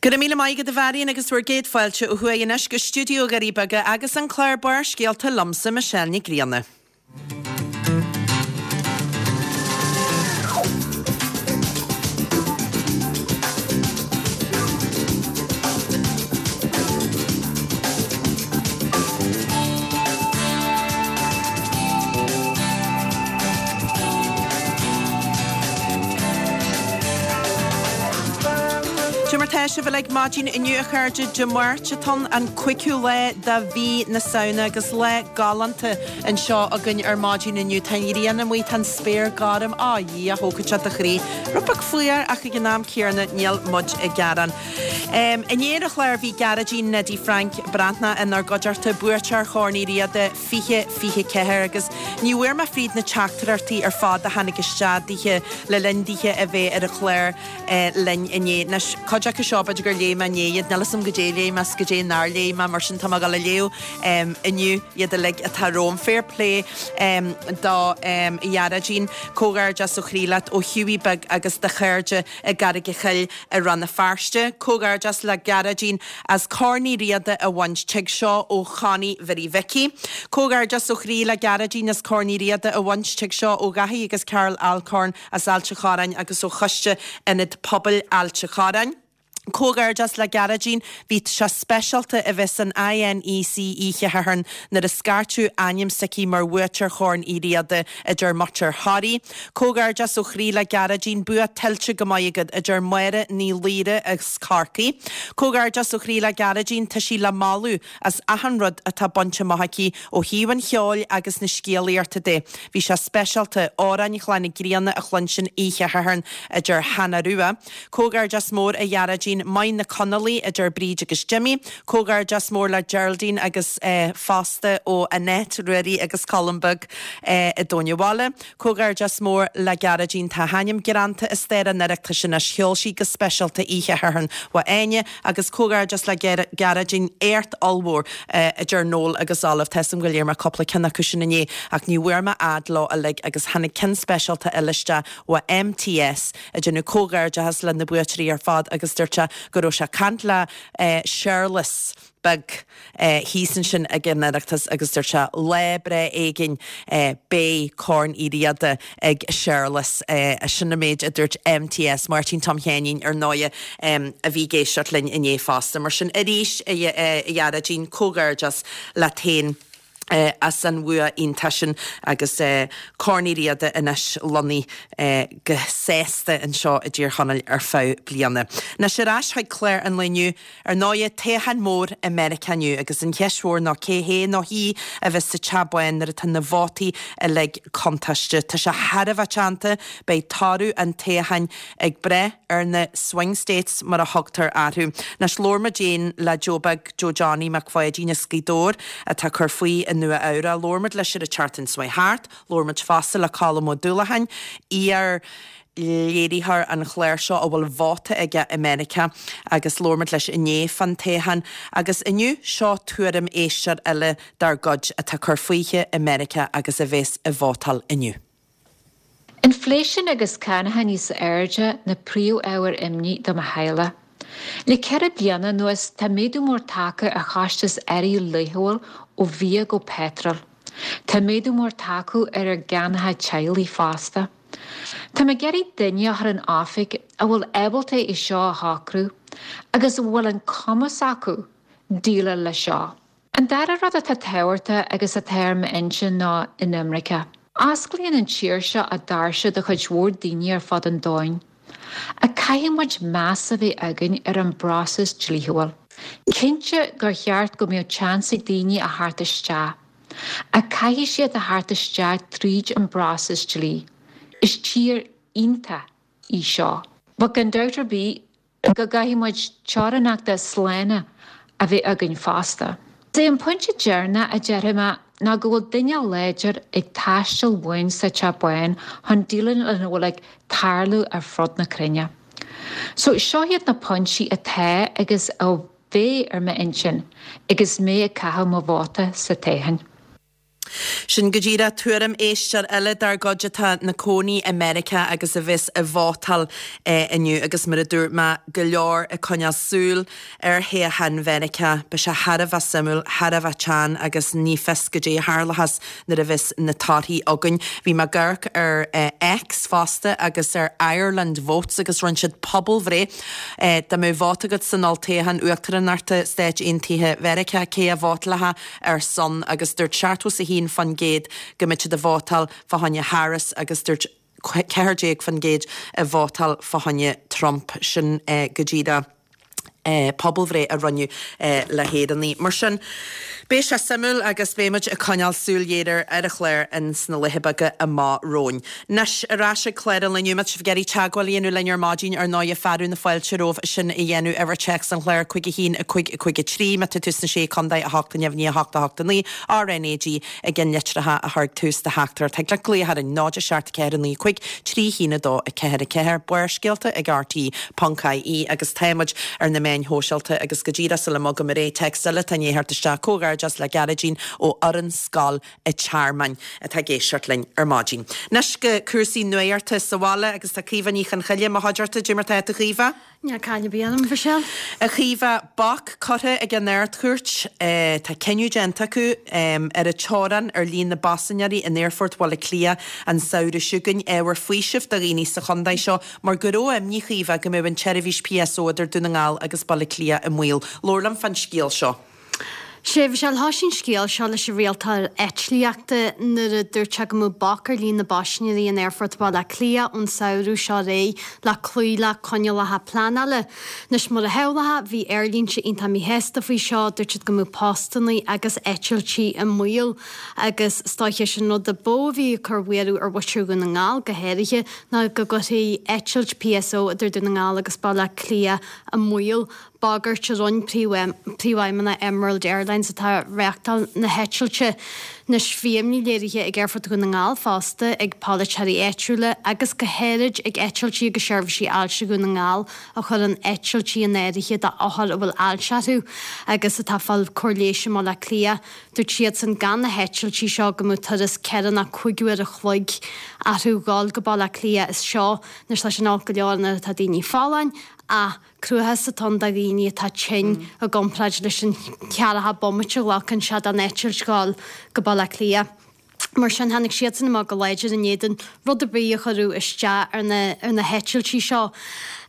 Go raibh míle maith agat a Mharion agus bhur gcéad fáilte ó thuaidh anois go stiúideo Dhoirí Beaga agus an clár Barrscéalta liomsa Michelle Nic Grianna. Cé mar tá sibh uilig maidin inniu a chairde, Dé Máirt atá ann, an cúigiú lá de mhí na Samhna agus lá galánta anseo againn ar maidin inniu. Tá an ghrian amuigh, tá an spéir gorm, á Dhia, thógfadh sé do chroí. Rud beag fuar ach ag an am céanna níl muid ag gearán. Inné ar an chlár bhí Gearóidín Neidí Frainc Breathnach inár gcuideachta, buaiteoir Chorn Uí Riada 2024 agus ní bhfuair mé fríd na teachtaireachtaí ar fad a tháinig isteach daoithe le linn daoithe a bheith ar an chlár linn inné. Anois, cuid acu seo b'fhéidir gur léigh mé inné iad, níl 'fhios a'm goidé a léigh mé 's goidé nár léigh mé, mar sin tá mé ag dul a léamh inniu iad uilig atá romham. Fair play do Ghearóidín, comhghairdeas ó chroí leat ó Hughie Beag agus do chairde i gCarraig a' Chill i Rann na Feirste. Comhghairdeas le Gearóidín as Corn Uí Riada a bhaint, tig seo ó Chonnie Mhary Mhicí. Comhghairdeas ó chroí le Gearóidín as Corn Uí Riada a bhaint, tig seo ó Dhaithí agus Carol Alcorn as Ailt a' Chorráin agus ó Choiste Ionad Pobail Ailt a' Chorráin. Comhghairdeas le Gearóidín, bhí sé speisialta a bheith san INEC oíche Shathairn nuair a scairteadh ainm s'aici mar bhuaiteoir Chorn Uí Riada, a deir muintir Thoraí. Comhghairdeas ó chroí le Gearóidín, bua tuillte go maith agat, a deir Máire Ní Laoire as Corcaigh. Comhghairdeas ó chroí le Gearóidín, tá sí le moladh as achan rud atá bainte amach aici ó thaobh an cheoil agus na scéalaíochta de. Bhí sé speisialta Amhráin Chlanna Grianna a chluinstin oíche Shathairn, a deir Hannah Rua. Comhghairdeas mór a Ghearóidín, maith na Conallaigh, a deir Bríd agus Jimmy. Comhghairdeas mór le Geraldine agus fosta ó Annette, Ruairí agus Colm Beag i dTóin an Bhaile. Comhghairdeas mór le Gearóidín, tá a hainm greanta i stair an Oireachtais anois, cheol sí go speisialta oíche Shathairn uaidh Áine agus comhghairdeas le Gearóidín, éacht ollmhór a deir Noel agus Olive. Tá 'fhios a'm gur léigh mé cúpla ceann acu sin inné ach ní bhfuair mé fhad leo uilig agus tháinig ceann speisialta eile isteach ó MTS ag déanamh comhghairdeachas le na buaiteoirí ar fad agus dúirt sé go raibh sé ag caint le Séarlas beag thíos ansin ag an Oireachtas agus dúirt sé lá breá éigin beidh Corn Uí Riada ag Séarlas. Sin an méid a dúirt MTS, Máirtín Tom Sheáinín ar ndóighe, a bhí ag éisteacht linn inné fosta. Mar sin arís a Ghearóidín, comhghairdeas leat féin as an bhua iontach sin agus Corn Uí Riada anois lonnaithe go sásta anseo i dTír Chonaill ar feadh bliana. Anois ar ais chuig clár an lae inniu. Ar ndóighe, toghchán mór i Meiriceá inniu agus an cheist mhór ná cé hé nó hí a bheas sa Teach Bán nuair atá na vótaí uilig cuntáilte. Tá sé thar a bheith teannta, beidh toradh an toghcháin ag brath ar na swing states mar a thugtar orthu. Anois labhair muid féin le Joe Beag Joe Johnny Mac Pháidín as Gaoth Dobhair atá ag cur faoi i Nua Eabhrac. Labhair muid leis ar an tseachtain seo chuaigh thart. Labhair muid fosta le Colm Ó Dúlacháin, iar léiritheoir an chláir seo a bhfuil vóta aige i Meiriceá agus labhair muid leis inné fán toghchán agus inniu seo tuairim éisteoir eile dár gcuid atá ag cur fúithi i Meiriceá agus a bhéas ag vótáil inniu. Inflation agus cánacha níos airde na príomh-ábhair imní do mo theaghlach. Le 4 bliana anuas tá méadú mór tagtha ar chostas earraí laethúil ó bhia go peitreal. Tá méadú mór tagtha ar ár gcánacha teaghlaigh fosta. Tá mé ag iarraidh duine a chur in oifig a bhfuil ábalta é seo a shocrú agus a bhfuil an cumas acu déileáil leis seo. An dara rud atá tábhachtach agus atá ar m'intinn ná inimirce. Osclaíonn an tír seo a doirse do chuid mhór daoine ar fud an domhain. Ach caithfidh muid meas a bheith againn ar an bpróiseas dlíthiúil. Cinnte gur cheart go mbeadh seans ag daoine a theacht isteach. Ach caithfidh siad a theacht isteach tríd an bpróiseas dlí. Is tír iontach í seo. But gan dabht ar bith, go gcaithfidh muid teorainneacha slána a bheith againn fosta. Is é an pointe deireanach a déarfaidh mé ná go bhfuil duine láidir ag teastáil uainn sa Teach Bán chun déileáil lena bhfuil ag tarlú ar fud na cruinne. So, seo iad na pointí atá agus a bheidh ar m'intinn agus mé ag caitheamh mo vóta sa toghchán. Sin go díreach tuairim éisteoir eile dár gcuid atá 'na cónaí i Meiriceá agus a bheas ag vótáil inniu agus mar a dúirt mé, go leor ag coinneáil súil ar thoghchán Mheiriceá. Beidh sé thar a bheith suimiúil, thar a bheith teann agus ní fios goidé a tharlóchas nuair a bheas na torthaí againn. Bhí mé ag amharc ar X fosta agus ar Ireland Votes agus rinne siad pobalbhreith. Dá mbeadh vóta agat san olltoghchán uachtaránachta Stáit Aontaithe Mheiriceá, cé a vótálfá ar son agus dúirt 71% go mbeadh siad ag vótáil fá choinne Harris agus dúirt 14% ag vótáil fá choinne Trump. Sin go díreach pobalbhreith a rinneadh le hÉireannaigh. Mar sin, beidh sé suimiúil agus beidh muid ag coinneáil súil ghéar ar an chlár ins na laetha beaga amach romhainn. Anois, ar ais ag clár an lae inniu, má tá sibh ag iarraidh teagmháil a dhéanamh linn ar maidin, ar ndóighe, fearadh na fáilte romhaibh sin a dhéanamh. Uimhir téacs an chláir, 5 1 5 5 3, má tá tú sna Sé Contae, 8 9 8 8 9, RnaG i gceann litreacha a chur ag tús do theachtaireacht. Thig leat glaoch orainn, 0 7 4 9 5 3 1 2 4 4, Barrscéalta ag RTÉ ponc ie agus tá muid ar na meáin shóisialta agus go díreach sula mbogaim ar aghaidh, téacs eile atá i ndiaidh theacht isteach, comhghairdeas le Gearóidín ó fhoireann Scoil a' Tearmainn atá ag éisteacht linn ar maidin. Anois go cúrsaí nuachta sa bhaile agus tá Caoimhe Ní Chonchoille i mo chuideachta. Cad é mar tá tú a Chaoimhe? Níl caill ar bith orm, a Mhichelle. A Chaoimhe, bac curtha ag an Ard-Chúirt, tá cinneadh déanta acu, ar an teorainn ar líon na bpaisinéirí in Aerfort Bhaile Átha Cliath an samhradh seo chugainn. Ábhar faoisimh do dhaoine sa chontae seo mar go raibh imní, Chaoimhe, go mbeadh an tseirbhís PSO idir Dún na nGall agus Baile Átha Cliath i mbaol. Labhair liom fán scéal seo. Sea, a Mhichelle, thoisigh an scéal seo leis an rialtóir eitlíochta nuair a dúirt sé go mbeadh bac ar líon na bpaisinéirí in Aerfort Bhaile Átha Cliath ón samhradh seo ar aghaidh le cloí le coinníollacha pleanála. Anois, mar a shamhlófá, bhí aerlínte iontach míshásta faoi seo, dúirt siad go mbeadh postanna agus eitiltí i mbaol. Agus is dóiche, is an rud a ba mhó a bhí ag cur buaireamh ar mhuintir Dhún na nGall go háirithe ná go gcuirfí eitilt PSO idir Dún na nGall agus Baile Átha Cliath i mbaol. Bagairt a rinne príomhfheidhmeannach Emerald Airlines atá ag reáchtáil na heitilte. Anois bhí imní léirithe ag Aerfort Dhún na nGall fosta, ag polaiteoirí áitiúla agus go háirid ag Eitiltí agus Seirbhísí Ailse Dhún na nGall a chuireann eitiltí in áirithe d'othair a bhfuil ailse orthu agus atá ag fáil cóir leighis i mBaile Átha Cliath. Dúirt siadsan gan na heitiltí seo go mbeadh turas ceithre nó cúig uair a chloig orthu dhul go Baile Átha Cliath as seo. Anois tá sin olc go leor nuair atá daoine folláin ach Cruachás atá ann do dhaoine atá tinn i gcomparáid leis an cheathracha bomaite a ghlacann sé don eitilt dhul go Baile Átha Cliath. Mar sin, tháinig siadsan amach go láidir in éadan rud ar bith a chuirfeadh isteach ar na ar na heitiltí seo.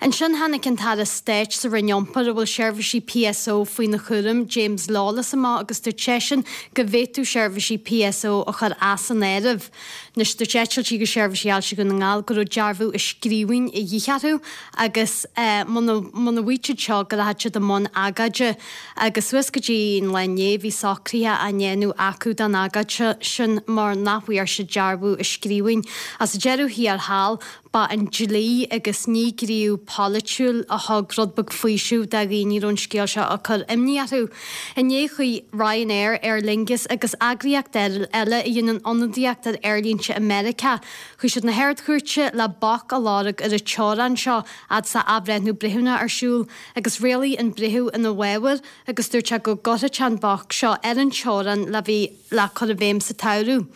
Ansin tháinig an tAire Stáit sa Roinn Iompair, a bhfuil seirbhísí PSO faoina chúram, James Lawless amach agus dúirt seisean go bhféadfadh seirbhísí PSO a chur as an áireamh. Anois, dúirt Eitiltí agus Seirbhísí Ailse Dhún na nGall go raibh dearbhú i scríbhinn a dhíth orthu agus muna muna bhfaigheadh siad seo go rachadh siad i mbun agóide agus suas go dtí an lá inné bhí socruithe á ndéanamh acu don agóid sin mar nach bhfuair siad dearbhú i scríbhinn. Ach sa deireadh thiar thall Ba an dlí agus ní gníomh polaitiúil a thug rud beag faoisimh do dhaoine a raibh an scéal seo ag cur imní orthu. Inné chuaigh Ryanair, Aer Lingus agus eagraíocht eile a dhéanann ionadaíocht ar aerlínte i Meiriceá, chuaigh siad na hArd-Chúirte le bac a lorg ar an teorainn seo fhad is atá athbhreithniú breithiúnach ar siúl agus rialaigh an breitheamh ina bhfabhar agus dúirt sé go gcuirfeadh sé an bac seo ar an teorainn le bheith le cur i bhfeidhm sa tsamhradh.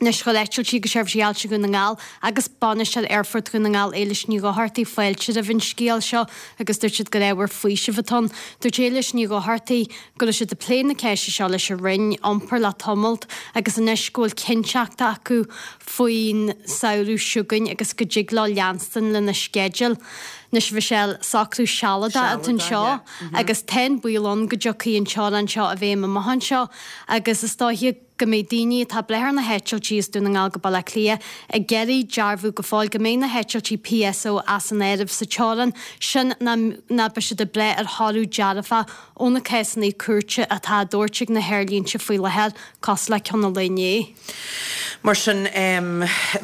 Anois chuir Eitiltí agus Seirbhísí Ailse Dhún na nGall agus Bainisteoir Aerfort Dhún na nGall Éilis Ní Dhochartaigh fáilte roimh an scéal seo agus dúirt siad gur ábhar faoisimh atá ann. Dúirt Éilis Ní Dhochartaigh go raibh siad ag plé na ceiste seo leis an Roinn Iompair le tamalt agus anois go bhfuil cinnteacht acu faoin samhradh seo chugainn agus go dtig leo leanstan lena sceideal. Anois a Mhichelle, socrú sealadach atá anseo agus tá an baol ann go dtiocfaidh an teorainn seo i bhfeidhm amach anseo agus is dóiche go mbeidh daoine atá ag brath ar na heitiltí as Dún na nGall go Baile Átha Cliath ag iarraidh dearbhú go fóill go mbeidh na heitiltí PSO as an áireamh sa teorainn sin nó nó beidh siad ag brath ar thoradh dearfach ó na cásanna cúirte atá á dtabhairt ag na haerlínte faoi láthair, cosúil le ceann an lae inné. Mar sin,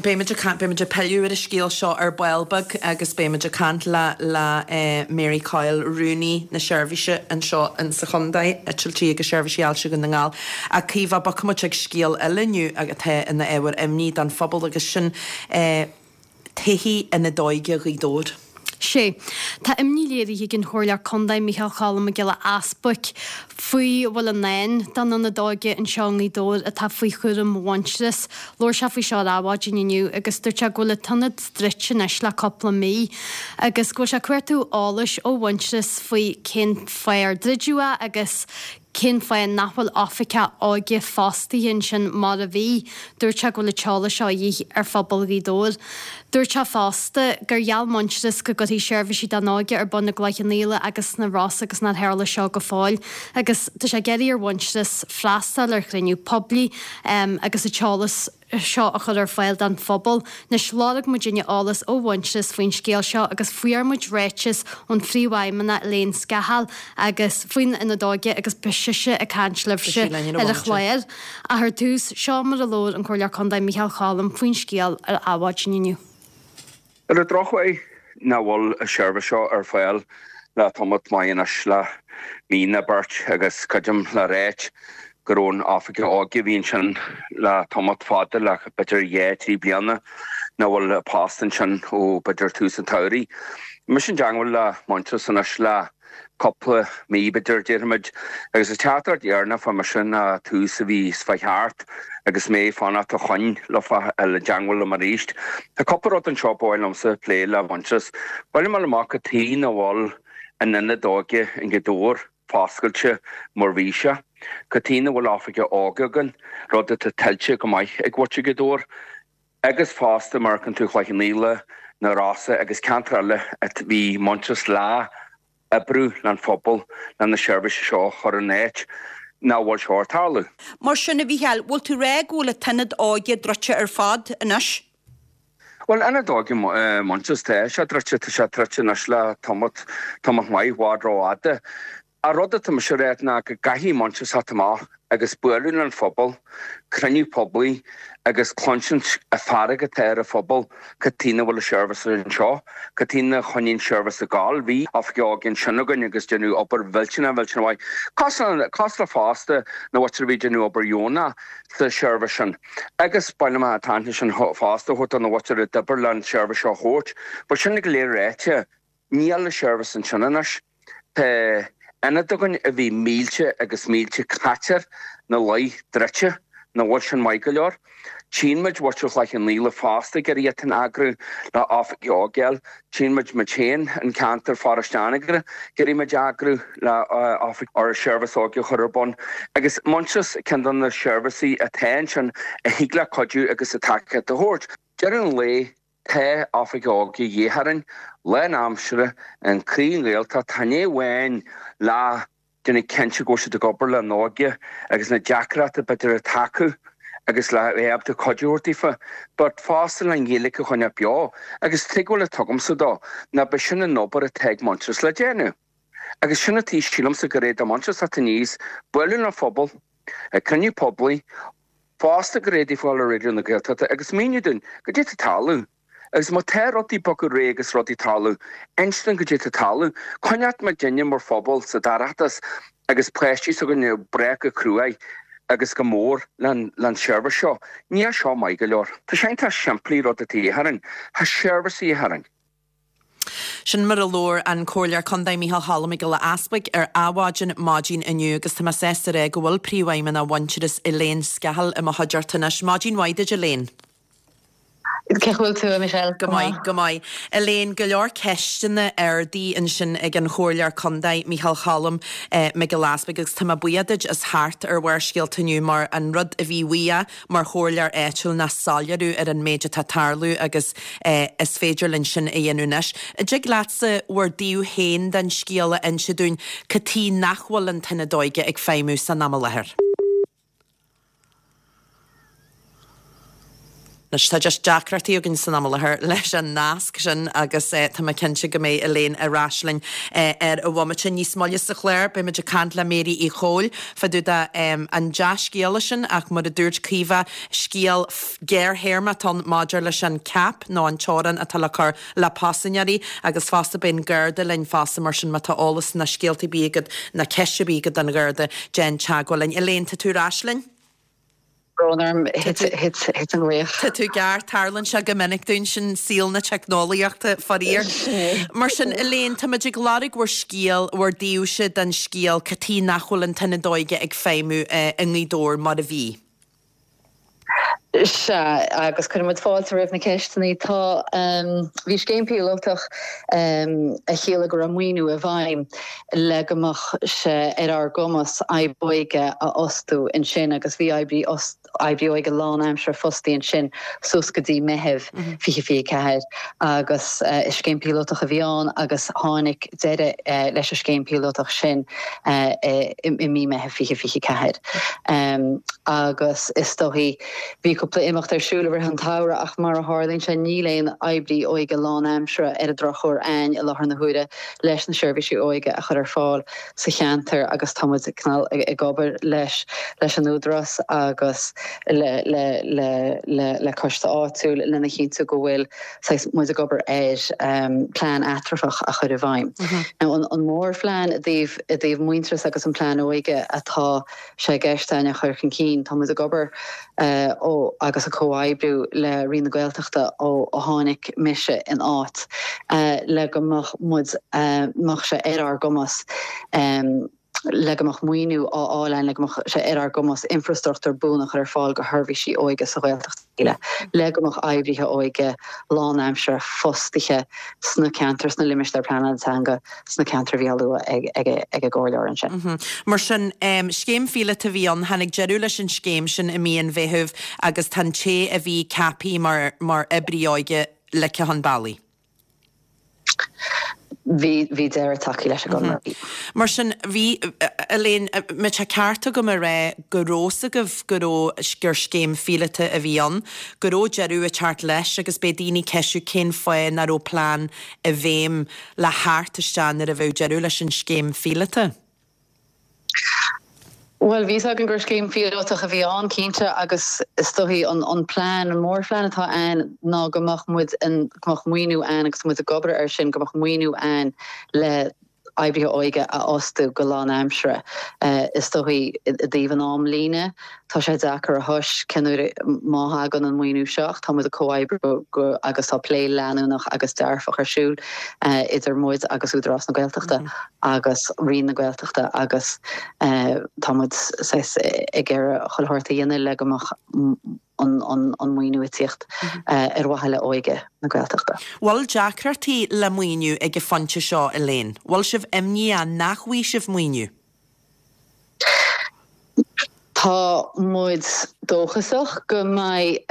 beimid ag caint, beimid ag pilleadh ar an scéal seo ar ball beag agus beimid ag caint le le Mary Coyle, Rúnaí na Seirbhíse anseo in sa chontae, Eitiltí agus Seirbhísí Ailse Dhún na nGall. Ach Caoimhe, bogfaidh muid chuig scéal eile inniu atá ina ábhar imní don phobal agus sin tithe Ionad Óige Ghaoth Dobhair. Sé. Tá imní léirithe ag an Chomhairleoir Contae Micheál Cholm Mac Giolla Easbuic faoi a bhfuil i ndán don Ionad Óige anseo i nGaoth Dobhair atá faoi chúram Mhuintearas. Labhair sé faoi seo ar Adhmhaidin inniu agus dúirt sé go bhfuil an t-ionad druidte anois le cúpla mí agus go bhfuil sé ag cuartú eolais ó Mhuintearas faoi cén fáth ar druideadh é agus Cén fáth nach bhfuil oifigeach óige fostaithe ansin mar a bhí? Dúirt sé go bhfuil an t-eolas seo a dhíth ar phobal Ghaoth Dobhair. Dúirt sé fosta gur gheall Muintearas go gcuirfí seirbhísí don óige ar bun i gCloich Cheann Fhaola agus sna Rosa agus nár tharla seo go fóill. Agus tá sé ag iarraidh ar Mhuintearas freastal ar chruinniú poiblí agus an t-eolas seo a chur ar fáil don phobal. Anois, lorg muidinne eolas ó Mhuintearas faoin scéal seo agus fuair muid ráiteas ón Phríomhfheidhmeannach Elaine Scahill agus faoin Ionad Óige agus beidh sise ag caint libhse ar an chlár. Ach ar dtús, seo mar a labhair an Comhairleoir Contae Micheál Cholm faoin scéal ar Adhmhaidin inniu. Ar an drochuair nach bhfuil an seirbhís seo ar fáil le tamalt maith anois, le mí nó beirt, agus creidim le ráit go raibh an oifigeach óige a bhí ansin le tamalt fada, le b'fhéidir dhá, thrí bliana, nach bhfuil a post ansin ó b'fhéidir tús an tsamhraidh. Mise i dteangmháil le Muintearas anois le cúpla mí, b'fhéidir, déarfaimid, agus an teachtaireacht dheireanach a fuair mise ná tús a bhí is fá cheart agus mé ag fanacht fá choinne leofa a dhul i dteangmháil liom arís. Tá cúpla rud anseo ba mhaith liomsa a phlé le Muintearas. Ba mhaith liom a fháil amach cad chuige nach bhfuil an ionad óige i nGaoth Dobhair foscailte mar bhí sé. Cad chuige nach bhfuil oifigeach óige againn, rud atá tuillte go maith ag mhuintir Ghaoth Dobhair. Agus fosta mar a fheiceann tú Cloich Cheann Fhaola, na Rosa agus ceantair eile a bhí Muintearas le oibriú leis an phobal le na seirbhísí seo a chur in áit nach bhfuil seo ag tarlú. Mar sin, a Mhícheáil, bhfuil tú rá go bhfuil an t-ionad óige druidte ar fad anois? Bhuel, ionad óige Muintearas, tá sé druidte, tá sé druidte anois le tamalt, tamalt maith, i bhfad rófhada. An rud atá mise a ráit ná go gcaithfidh Muintearas theacht amach agus bualadh leis an phobal, cruinniú poiblí agus cluinsint an fearg atá ar an phobal cad chuige nach bhfuil an seirbhís anseo, cad chuige nár choinnigh an seirbhís ag gabháil. Bhí oifigeach óige ansin againn agus déanadh obair mhillteanach mhillteanach mhaith. Cosúil le fosta na mhuintir a bhí ag déanamh obair dheonach sa seirbhís sin. Agus ba mhaith liom an t-aithne sin fosta a thabhairt do na mhuintir a d'oibir le an seirbhís seo a thabhairt. But sin go léir ráite, Níl an seirbhís ansin anois. Tá ionad againn a bhí mílte agus mílte caite air 'na luí druidte, nach bhfuil sin maith go leor. Tchíonn muid muintir Chloich Cheann Fhaola fosta ag iarraidh iad féin a eagrú le oifigigh óige a fháil. Tchíonn muid muid féin, an ceantar Pharóiste Anagaire, ag iarraidh muid a eagrú le oifig or seirbhís óige a chur ar bun. Agus Muintearas ceann de na seirbhísí atá ansin a thig le cuidiú agus a tacaíocht a thabhairt. Deireadh an lae, Tá oifig óige de dhíth orainn, lán-aimsire, in croí an Ghaeltacht, chan é amháin le déanamh cinnte go bhfuil siad ag obair le n-óige agus na deacrachtaí b'fhéidir atá acu agus le bheith ábalta cuidiú a thabhairt daofa, but fosta le an Ghaeilge a choinneáil beo. Agus tuigbheáil an tugaimse dó ná b'é sin an obair atá ag Muintearas le déanamh. Agus sin an taobh sílimse gur féidir Muintearas teacht aníos, bualadh le phobal, ag cruinniú poiblí, fosta go bhféadfaí fáil ar Raidió na Gaeltachta agus míniú dúinn goidé tá ag tarlú. Agus má tá rudaí ag bogadh ar aghaidh agus rudaí ag tarlú, inis dúinn goidé tá ag tarlú. Coinneoidh muidinne mar phobal sa dorchadas agus páistí s'againne ag brath go cruaidh agus go mór leis an seirbhís seo. Níl seo maith go leor. Tá sé iontach simplí rud atá de dhíth orainn. Tá seirbhís de dhíth orainn. Sin mar a labhair an Comhairleoir Contae Micheál Cholm Mac Giolla Easbuig ar Adhmhaidin maidin inniu agus tá mé sásta a rá go bhfuil Príomhfheidhmeannach Mhuintearas Elaine Scahill i mo chuideachta anois. Maidin mhaith duit Elaine. Cén chaoi a bhfuil tú, a Michelle? Go maith, go maith. Elaine, go leor ceisteanna ardaithe ansin ag an Chomhairleoir Contae Micheál Cholm Mac Giolla Easbuig agus tá mé buíoch duit as theacht ar Bharrscéalta inniu mar an rud a bhí uaidh mar chomhairleoir áitiúil ná soiléiriú ar an méid atá ag tarlú agus is féidir linn sin a dhéanamh anois. An dtig leatsa bhur dtaobh féin den scéal a inse dúinn, cad chuige nach bhfuil an tIonad Óige ag feidhmiú san am i láthair? Anois, tá just deacrachtaí againn san am i láthair leis an nasc sin agus tá mé cinnte go mbeidh Elaine ar ais linn ar an bhomaite. Níos moille sa chlár, beidh muid ag caint le Mary Uí Chomhaill fá dtaobh de an dea-scéala sin ach mar a dúirt Caoimhe, scéal géarthéarma atá ann maidir leis an cap nó an teorainn atá le cur le paisinéirí agus fosta beidh an Garda linn fosta mar sin má tá eolas ná scéalta ar bith agat ná ceist ar bith agat don Gharda, déan teagmháil linn. Elaine, tá tú ar ais linn? Brón orm, thit an glaoch. Tá tú ceart, tarlaíonn sé go minic dúinn sin saol na teicneolaíochta, faraor. Mar sin, Elaine, táimid ag lorg bhur scéal, bhur dtaobhse den scéal, cad chuige nach bhfuil an tIonad Óige ag feidhmiú i nGaoth Dobhair mar a bhí? Sea, agus cuireann muid fáilte roimh na ceisteanna. Tá, bhí scéim píolótach a chiallaigh go raibh maoiniú i bhfeidhm le go mbeadh sé ar ár gcumas oibrí óige a fhostú ansin agus bhí oibrí oibrí óige lánaimseartha fostaithe ansin suas go dtí Meitheamh 2024 agus is scéim píolótach a bhí ann agus tháinig deireadh leis an scéim píolótach sin i mí Meitheamh 2024. Agus is dóichí, bhí cúpla imeacht ar siúl i rith an tsamhraidh ach mar a tharlaíonn sé níl aon oibrí óige lánaimseartha ar an drochuair a'ainn i láthair na huaire leis na seirbhísí óige a chur ar fáil sa cheantar agus tá muid cineál ag obair leis leis an Údarás agus le le le le le coiste áitiúil lena chinntiú go bhfuil saghas muid ag obair ar plean eatramhach a chur i bhfeidhm. Now an mórphlean i dtaobh i dtaobh Muintearas agus an plean óige atá sé i gceist a'ainn a chur chun cinn, tá muid ag obair ó agus ag comhoibriú le Roinn na Gaeltachta ó ó tháinig mise in áit le go mbeadh muid mbeadh sé ar ár gcumas le go mbeadh maoiniú á fháil a'ainn le go mbeadh sé ar ár gcumas infreastruchtúr buan a chur ar fáil do sheirbhísí óige sa Ghaeltacht uile, le go mbeadh oibrithe óige lánaimseartha fostaithe sna ceantair, sna limistéir pleanála teanga, sna ceantair a bhí á lua ag an gcomhairleoir ansin. Mar sin, scéim phíolóta a bhí ann, tháinig deireadh leis an scéim sin i mí an Mheithimh agus tá an té a bhí ceaptha mar mar oibrí óige ligthe chun bealaigh. Bhí, bhí deireadh tagtha leis an gconradh. Mar sin, bhí, Elaine, an mbeadh sé ceart agam a rá go raibh 's agaibh go raibh, gur scéim phíolóta a bhí ann, go raibh deireadh ag teacht leis agus beidh daoine ag ceistiú cén fáth nach raibh plean i bhfeidhm le theacht isteach nuair a bheadh deireadh leis an scéim phíolóta? Bhuel, bhí 'fhios againn gur scéim phíolótach a bhí ann, cinnte, agus is dóichí an an plean, an mórphlean atá a'ainn ná go mbeadh muid in, go mbeadh maoiniú a'ainn agus tá muid ag obair air sin, go mbeadh maoiniú a'ainn le oibrithe óige a fhostú go lánaimseartha. Is dóichí i dtaobh an amlíne, tá sé deacair a thomhas cén uair má thagann an maoiniú seo ach tá muid ag comhoibriú go agus tá plé leanúnach agus dearfach ar siúl idir muid agus Údarás na Gaeltachta agus Roinn na Gaeltachta agus tá muid saghas ag iarraidh chuile shórt a dhéanamh le go mbeadh an maoiniú ag tíocht ar mhaithe le óige na Gaeltachta. Bhfuil deacrachtaí le maoiniú ag an phointe seo, Elaine? Bhfuil sibh imníoch nach bhfaighidh sibh maoiniú? Tá muid dóchasach go mbeidh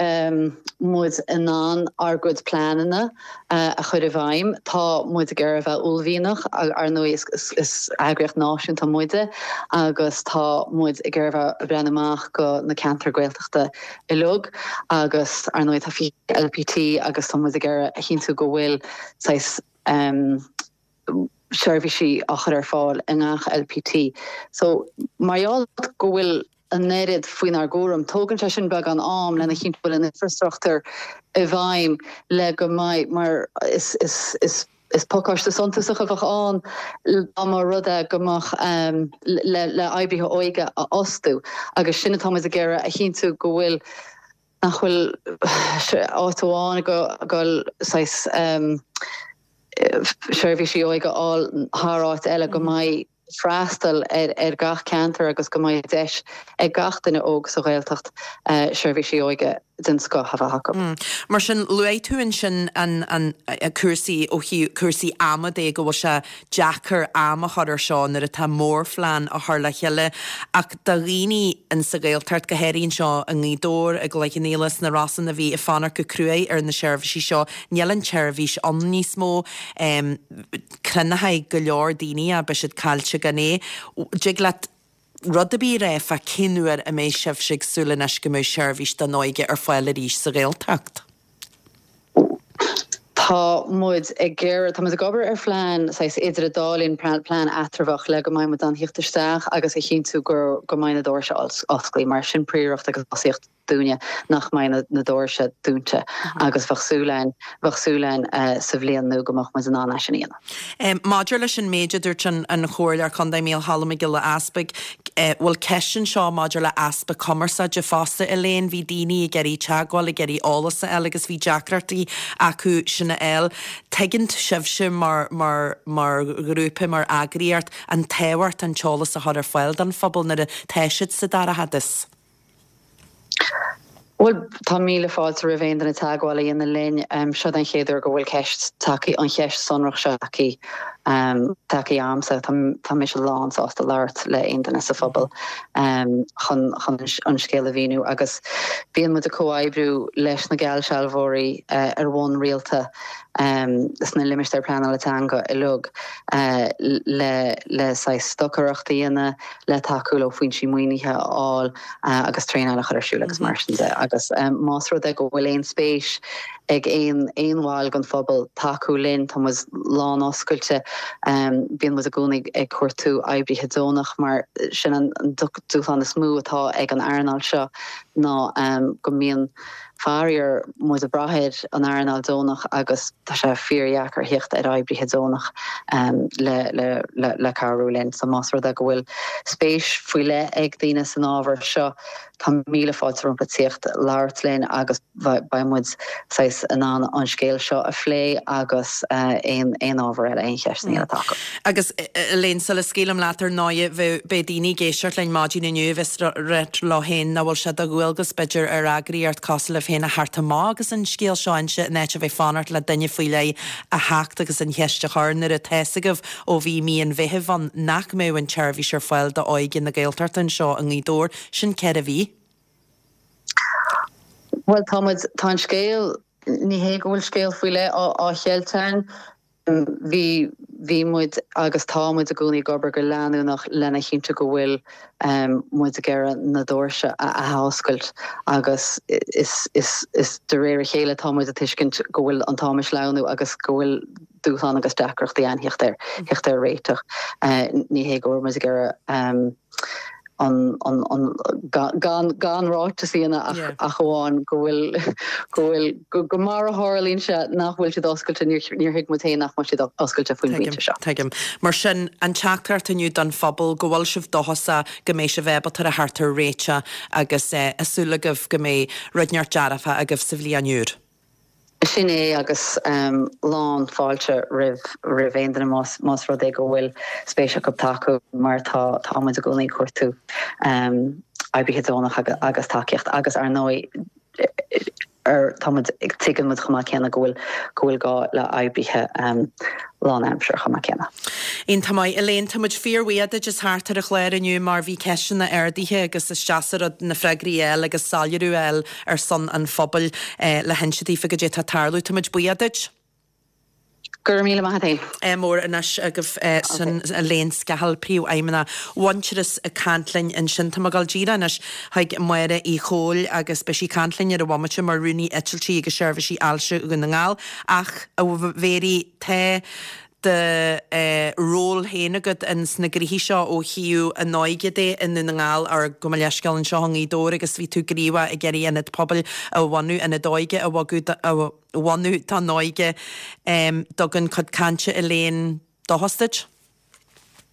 muid in ann ár gcuid pleananna a chur i bhfeidhm. Tá muid ag iarraidh a bheith uaillmhianach, ar ndóigh is eagraíocht náisiúnta muide agus tá muid ag iarraidh a bheith ag breathnú amach go na ceantair Gaeltachta uilig agus ar ndóigh tá 20 LPT agus tá muid ag iarraidh a chinntiú go bhfuil saghas seirbhísí á chur ar fáil i ngach LPT. So, mar gheall go bhfuil an oiread faoinár gcúram, tógann sé sin beagán am lena chinntiú go bhfuil an infreastruchtúr i bhfeidhm le go mbeidh, mar is, is, is, is pacáiste suntasach a bheadh ann dá mba rud é go mbeadh le, le oibrithe óige a fhostú agus sin atá muid ag iarraidh a chinntiú go bhfuil nach bhfuil áit amháin ag dul saghas seirbhísí óige a fháil thar áit eile, go mbeidh freastal ar gach ceantar agus go mbeidh deis ag gach duine óg sa Ghaeltacht seirbhísí óige den scoth a bheith acu. Mar sin, luaigh tú ansin an cúrsaí ó thaobh cúrsaí ama de, go bhfuil sé deacair am a chur ar seo nuair atá mórphlean á chur le chéile ach do dhaoine in sa Ghaeltacht, go háirithe anseo i nGaoth Dobhair, i gCloich Cheann Fhaola, sna Rosann a bhí ag fanacht go cruaidh ar na seirbhísí seo, níl an tseirbhís ann níos mó. Cruinneoidh go leor daoine é, beidh siad caillte gan é. Dtig leat rud ar bith a rá fá cén uair a mbeidh sibhse ag súil anois go mbeidh seirbhís don óige ar fáil arís sa Ghaeltacht? Tá muid ag iarraidh, tá muid ag obair ar phlean saghas idir an dá linn, plean eatramhach le go mbeidh muid in ann theacht isteach agus a chinntiú go go mbeidh na doirse osclaí mar sin príoracht agus tosaíocht. dúinne nach mbeidh na doirse dúnta agus bheadh súil againn, bheadh súil againn sa bhliain nua go mbeadh muid in ann é sin a dhéanamh. Maidir leis an méid a dúirt an Comhairleoir Contae Mícheál Mac Giolla Easpaig, bhfuil ceist anseo maidir le easpa cumarsáide fosta, Elaine, bhí daoine ag iarraidh teagmháil, ag iarraidh eolas a fháil agus bhí deacrachtaí acu sin a fháil. Tuigeann sibhse mar, mar, mar ghrúpa, mar eagraíocht, an tábhacht an t-eolas a chur ar fáil don phobal nuair atá siad sa dorchadas. Bhuel, tá míle fáilte roimh aon duine teagmháil a dhéanamh linn. Seo den chéad uair go bhfuil ceist tagtha, an cheist sonrach seo tagtha, tagtha a'msa. Tá mise lán sásta labhairt le aon duine sa phobal chun chun an scéal a mhíniú agus bíonn muid ag comhoibriú leis na geallsealbhóirí ar bhonn rialta sna limistéir pleanála teanga uilig le le saghas stocaireacht a dhéanamh, le tacú leo foinsí maoinithe a fháil agus traenáil a chur ar siúl agus mar sin de. Agus más rud é go bhfuil aon spéis ag aon aon bhall den phobal tacú linn, tá muid lán oscailte. Bíonn muid i gcónaí ag cuartú oibrithe deonach mar sin an dúshlán is mó atá ag an earnáil seo ná go mbíonn faraor, muid ag brath ar an earnáil deonach agus tá sé fíordheacair theacht ar oibrithe deonach le cabhrú linn. So más rud é go bhfuil spéis faoi leith ag daoine san ábhar seo, tá míle fáilte rompu tíocht labhairt linn agus beidh muid saghas in ann an scéal seo a phlé agus aon ábhar eile, aon cheisteanna eile atá acu. Agus Elaine, sula scaoilim leat ar ndóigh, bheadh, beidh daoine ag éisteacht linn maidin inniu a bheas ag ráit leo féin nach bhfuil sé de dhualgas, b'fhéidir, ar eagraíocht cosúil libh féin a theacht amach agus an scéal seo a inse in áit a bheith fanacht le duine faoi leith a theacht agus an cheist a chur nuair atá fhios agaibh ó bhí mí an Mheithimh ann nach mbeadh an tseirbhís ar fáil d'óige na Gaeltachta anseo i nGaoth Dobhair. Sin 4 mhí. Bhuel, tá muid, tá an scéal, ní hé go bhfuil scéal faoi leith á cheilt againn, Bhí, bhí muid agus tá muid i gcónaí ag obair go leanúnach lena chinntiú go bhfuil muid ag iarraidh na doirse a athoscailt agus is, is, is de réir a chéile tá muid ag tuiscint go bhfuil an t-am ag sleamhnú agus go bhfuil dúshlán agus deacrachtaí ann theacht ar, theacht ar réiteach. Ní hé go bhfuil muid ag iarraidh an, an, an, gan, gan ráiteas a dhéanamh ach, ach amháin go bhfuil, go bhfuil, go, go mar a tharlaíonn sé nach bhfuil siad oscailte, níor, níor thuig muid féin nach mbeadh siad oscailte faoin bpointe seo. Tuigim. Mar sin, an teachtaireacht inniu don phobal, go bhfuil sibh dóchasach go mbeidh sibh ábalta a theacht ar réiteach agus tá súil agaibh go mbeidh rud inteacht dearfach agaibh sa bhliain úr. Sin é agus lán fáilte roimh roimh aon duine más más rud é go bhfuil spéis acu tacú mar tá tá muid i gcónaí ag cuartú oibrithe deonach agus tacaíocht agus ar ndóigh ar tá muid tuigeann muid chomh maith céanna go bhfuil go bhfuil gá le oibrithe lánaimseartha chomh maith céanna. Iontach maith. Elaine, tá muid fíorbhuíoch duit as theacht ar an chlár inniu mar bhí ceisteanna ardaithe agus is deas an rud na freagraí a fháil agus soiléiriú a fháil ar son an phobail le hinse daofa goidé atá ag tarlú. Tá muid buíoch duit. Go raibh míle maith a't fhéin. Ádh mór anois agaibh sin Elaine Scahill, Príomhfheidhmeannach Mhuintearas ag caint linn ansin. Tá mé ag dul díreach anois chuig Máire Uí Chomhaill agus beidh sí ag caint linn ar an bhomaite mar Rúnaí Eitiltí agus Seirbhísí Ailse Dhún na nGall. Ach, a Mhéirí, tá do ról féin agat ins na gnoithí seo ó thaobh an óige de i nDún na nGall, or gabh mo leithscéal, anseo i nGaoth Dobhair agus bhí tú gníomhach ag iarraidh ionad pobail a bhunú, ionad óige a bhogadh, a bhunú don óige. Dtugann cuid cainte Elaine dóchas duit?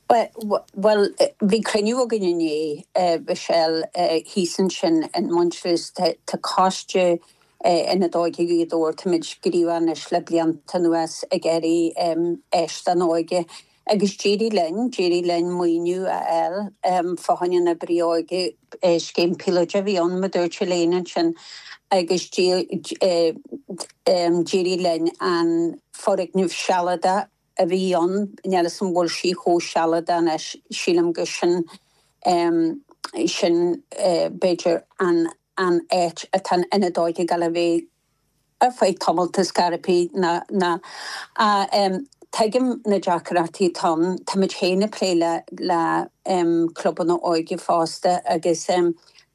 Bhuel, bhí cruinniú againn inné, Michelle, thíos ansin in Muintearas. Tá coiste Ionad Óige Ghaoth Dobhair, táimid gníomhach anois le blianta anuas ag iarraidh áis don óige agus d'éirigh linn, d'éirigh linn maoiniú a fháil fá choinne an oibrí óige, scéim píolóide a bhí ann, mar a dúirt Elaine ansin, agus d'éirigh linn an foirgneamh sealadach a bhí ann, níl 'fhios a'm an bhfuil sí chomh sealadach anois, sílim gur sin, sin b'fhéidir an an áit atá an Ionad Óige ag gabháil a bheith ar feadh tamalt is scairpí ná ná tuigim na deacrachtaí atá ann, táimid féin ag plé le le clubanna óige fosta agus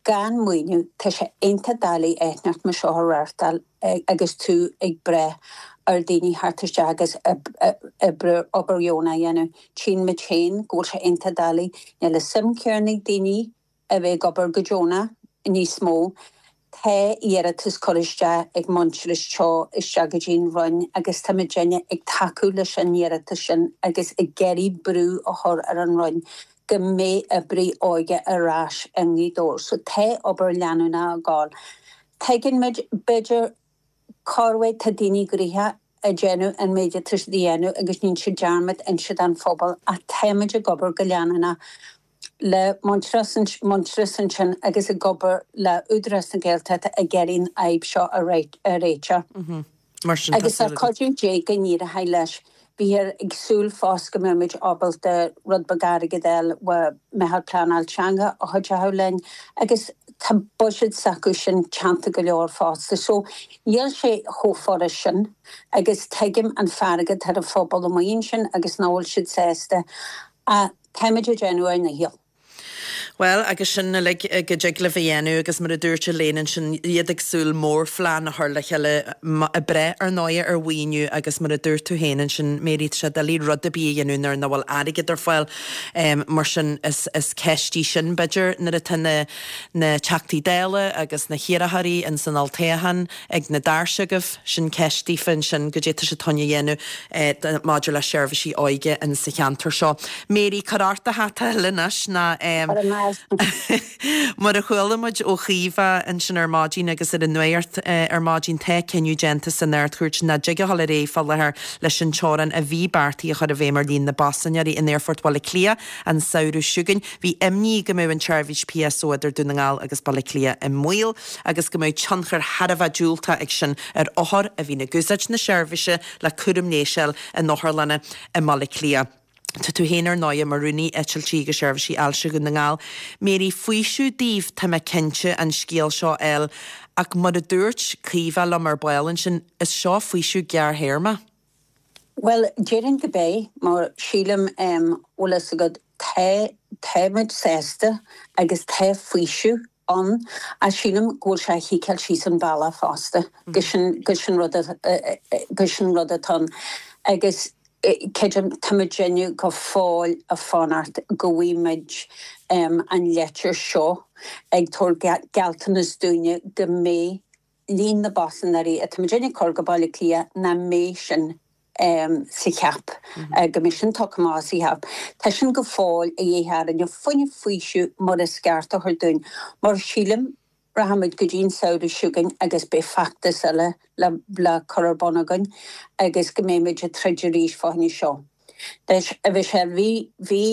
gan maoiniú tá sé iontach doiligh áit inteacht mar seo a reáchtáil. agus tú ag brath ar daoine theacht isteach agus obair dheonach a dhéanamh. Tchíonn muid féin go bhfuil sé iontach doiligh. Níl an suim céanna ag daoine a bheith ag obair go deonach níos mó. Tá iarratas curtha isteach ag Muintearas Teo isteach go dtí an Roinn agus tá muidinne ag tacú leis an iarratas sin agus ag iarraidh brú a chur ar an Roinn go mbeidh oibrithe óige ar ais i nGaoth Dobhair. So tá obair leanúnach ag gabháil. Tuigeann muid, b'fhéidir, corruair tá daoine gnoitheach ag déanamh an méid atá siad a dhéanamh agus níonn siad dearmad inse don phobal ach táimid ag obair go leanúnach le Muintearas ansin agus ag obair le Údarás na Gaeltachta ag iarraidh an fhadhb seo a réiteach. Agus le cuidiú Dé go n-éireoidh leis. Bhíthear ag súil fosta go mbeidh muid ábalta rud beag airgid a fháil ó Meitheal Pleanáil Teanga a chuideochadh linn agus tá buiséad s'acu sin teannta go leor fosta. So níl sé chomh furast sin agus tuigim an fearg atá ar an phobal amuigh ansin agus nach bhfuil siad sásta ach Táimid ag déanamh ár ndícheall. Bhuel, agus sin uilig go dtig libh a dhéanamh agus mar a dúirt Elaine ansin, iad ag súil mórphlean a chur le chéile, ag brath ar ndóigh ar mhaoiniú agus mar a dúirt tú féin ansin, Mary, tá sé doiligh rud ar bith a dhéanamh nuair nach bhfuil airgead ar fáil. Mar sin is ceist í sin b'fhéidir nuair atá na na Teachtaí Dála agus na hiarrthóirí ins an olltoghchán ag na doirse agaibh, sin ceist daofa ansin, goidé tá sibh chun a dhéanamh maidir le seirbhísí óige in sa cheantar seo. Mary, cuir ort do hata a thuilleadh anois ná mar a chuala muid ó Chaoimhe ansin ar maidin agus ar an nuacht ar maidin, tá cinneadh déanta san Ard-Chúirt nach dtig a dhul ar aghaidh fá láthair leis an teorainn a bhí beartaithe a chur i bhfeidhm ar líon na bpaisinéirí in Aerfort Bhaile Átha Cliath an samhradh seo chugainn. Bhí imní go mbeadh an tseirbhís PSO idir Dún na nGall agus Baile Átha Cliath i mbaol agus go mbeadh tionchar thar a bheith diúltach ag sin ar othair a bhíonn ag úsáid na seirbhíse le cúram leighis a fháil in otharlanna i mBaile Átha Cliath. Tá tú féin ar ndóighe mar Rúnaí Eitiltí agus Seirbhísí Ailse Dhún na nGall. Mary, faoiseamh daoibh, tá mé cinnte, an scéal seo a fháil ach mar a dúirt Caoimhe liom ar ball ansin, is seo faoiseamh gearrthéarma. Bhuel, déarfainn go beidh, mar sílim, bhfuil fhios agat, tá, táimid sásta agus tá faoiseamh ann ach sílim go bhfuil sé a chiceáil síos an bealach fosta, go sin, go sin rud a, go sin rud atá ann. Agus creidim, tá muidinne go fóill ag fanacht go bhfaighidh muid an leitir seo ag tabhairt gealltanas dúinne go mbeidh líon na bpaisinéirí atá muidinne ag cur go Baile Átha Cliath nach mbeidh sin sa cheap, go mbeidh sin tugtha amach as a cheap. Tá sin go fóill a dhíth orainne, fá choinne faoiseamh mar is ceart a thabhairt dúinn, mar sílim rachaimid go dtí an samhradh seo chugainn agus beidh feachtas eile le le cur ar bun againn agus go mbeidh muid ag troid arís fá choinne seo. Anois, a Mhichelle, bhí, bhí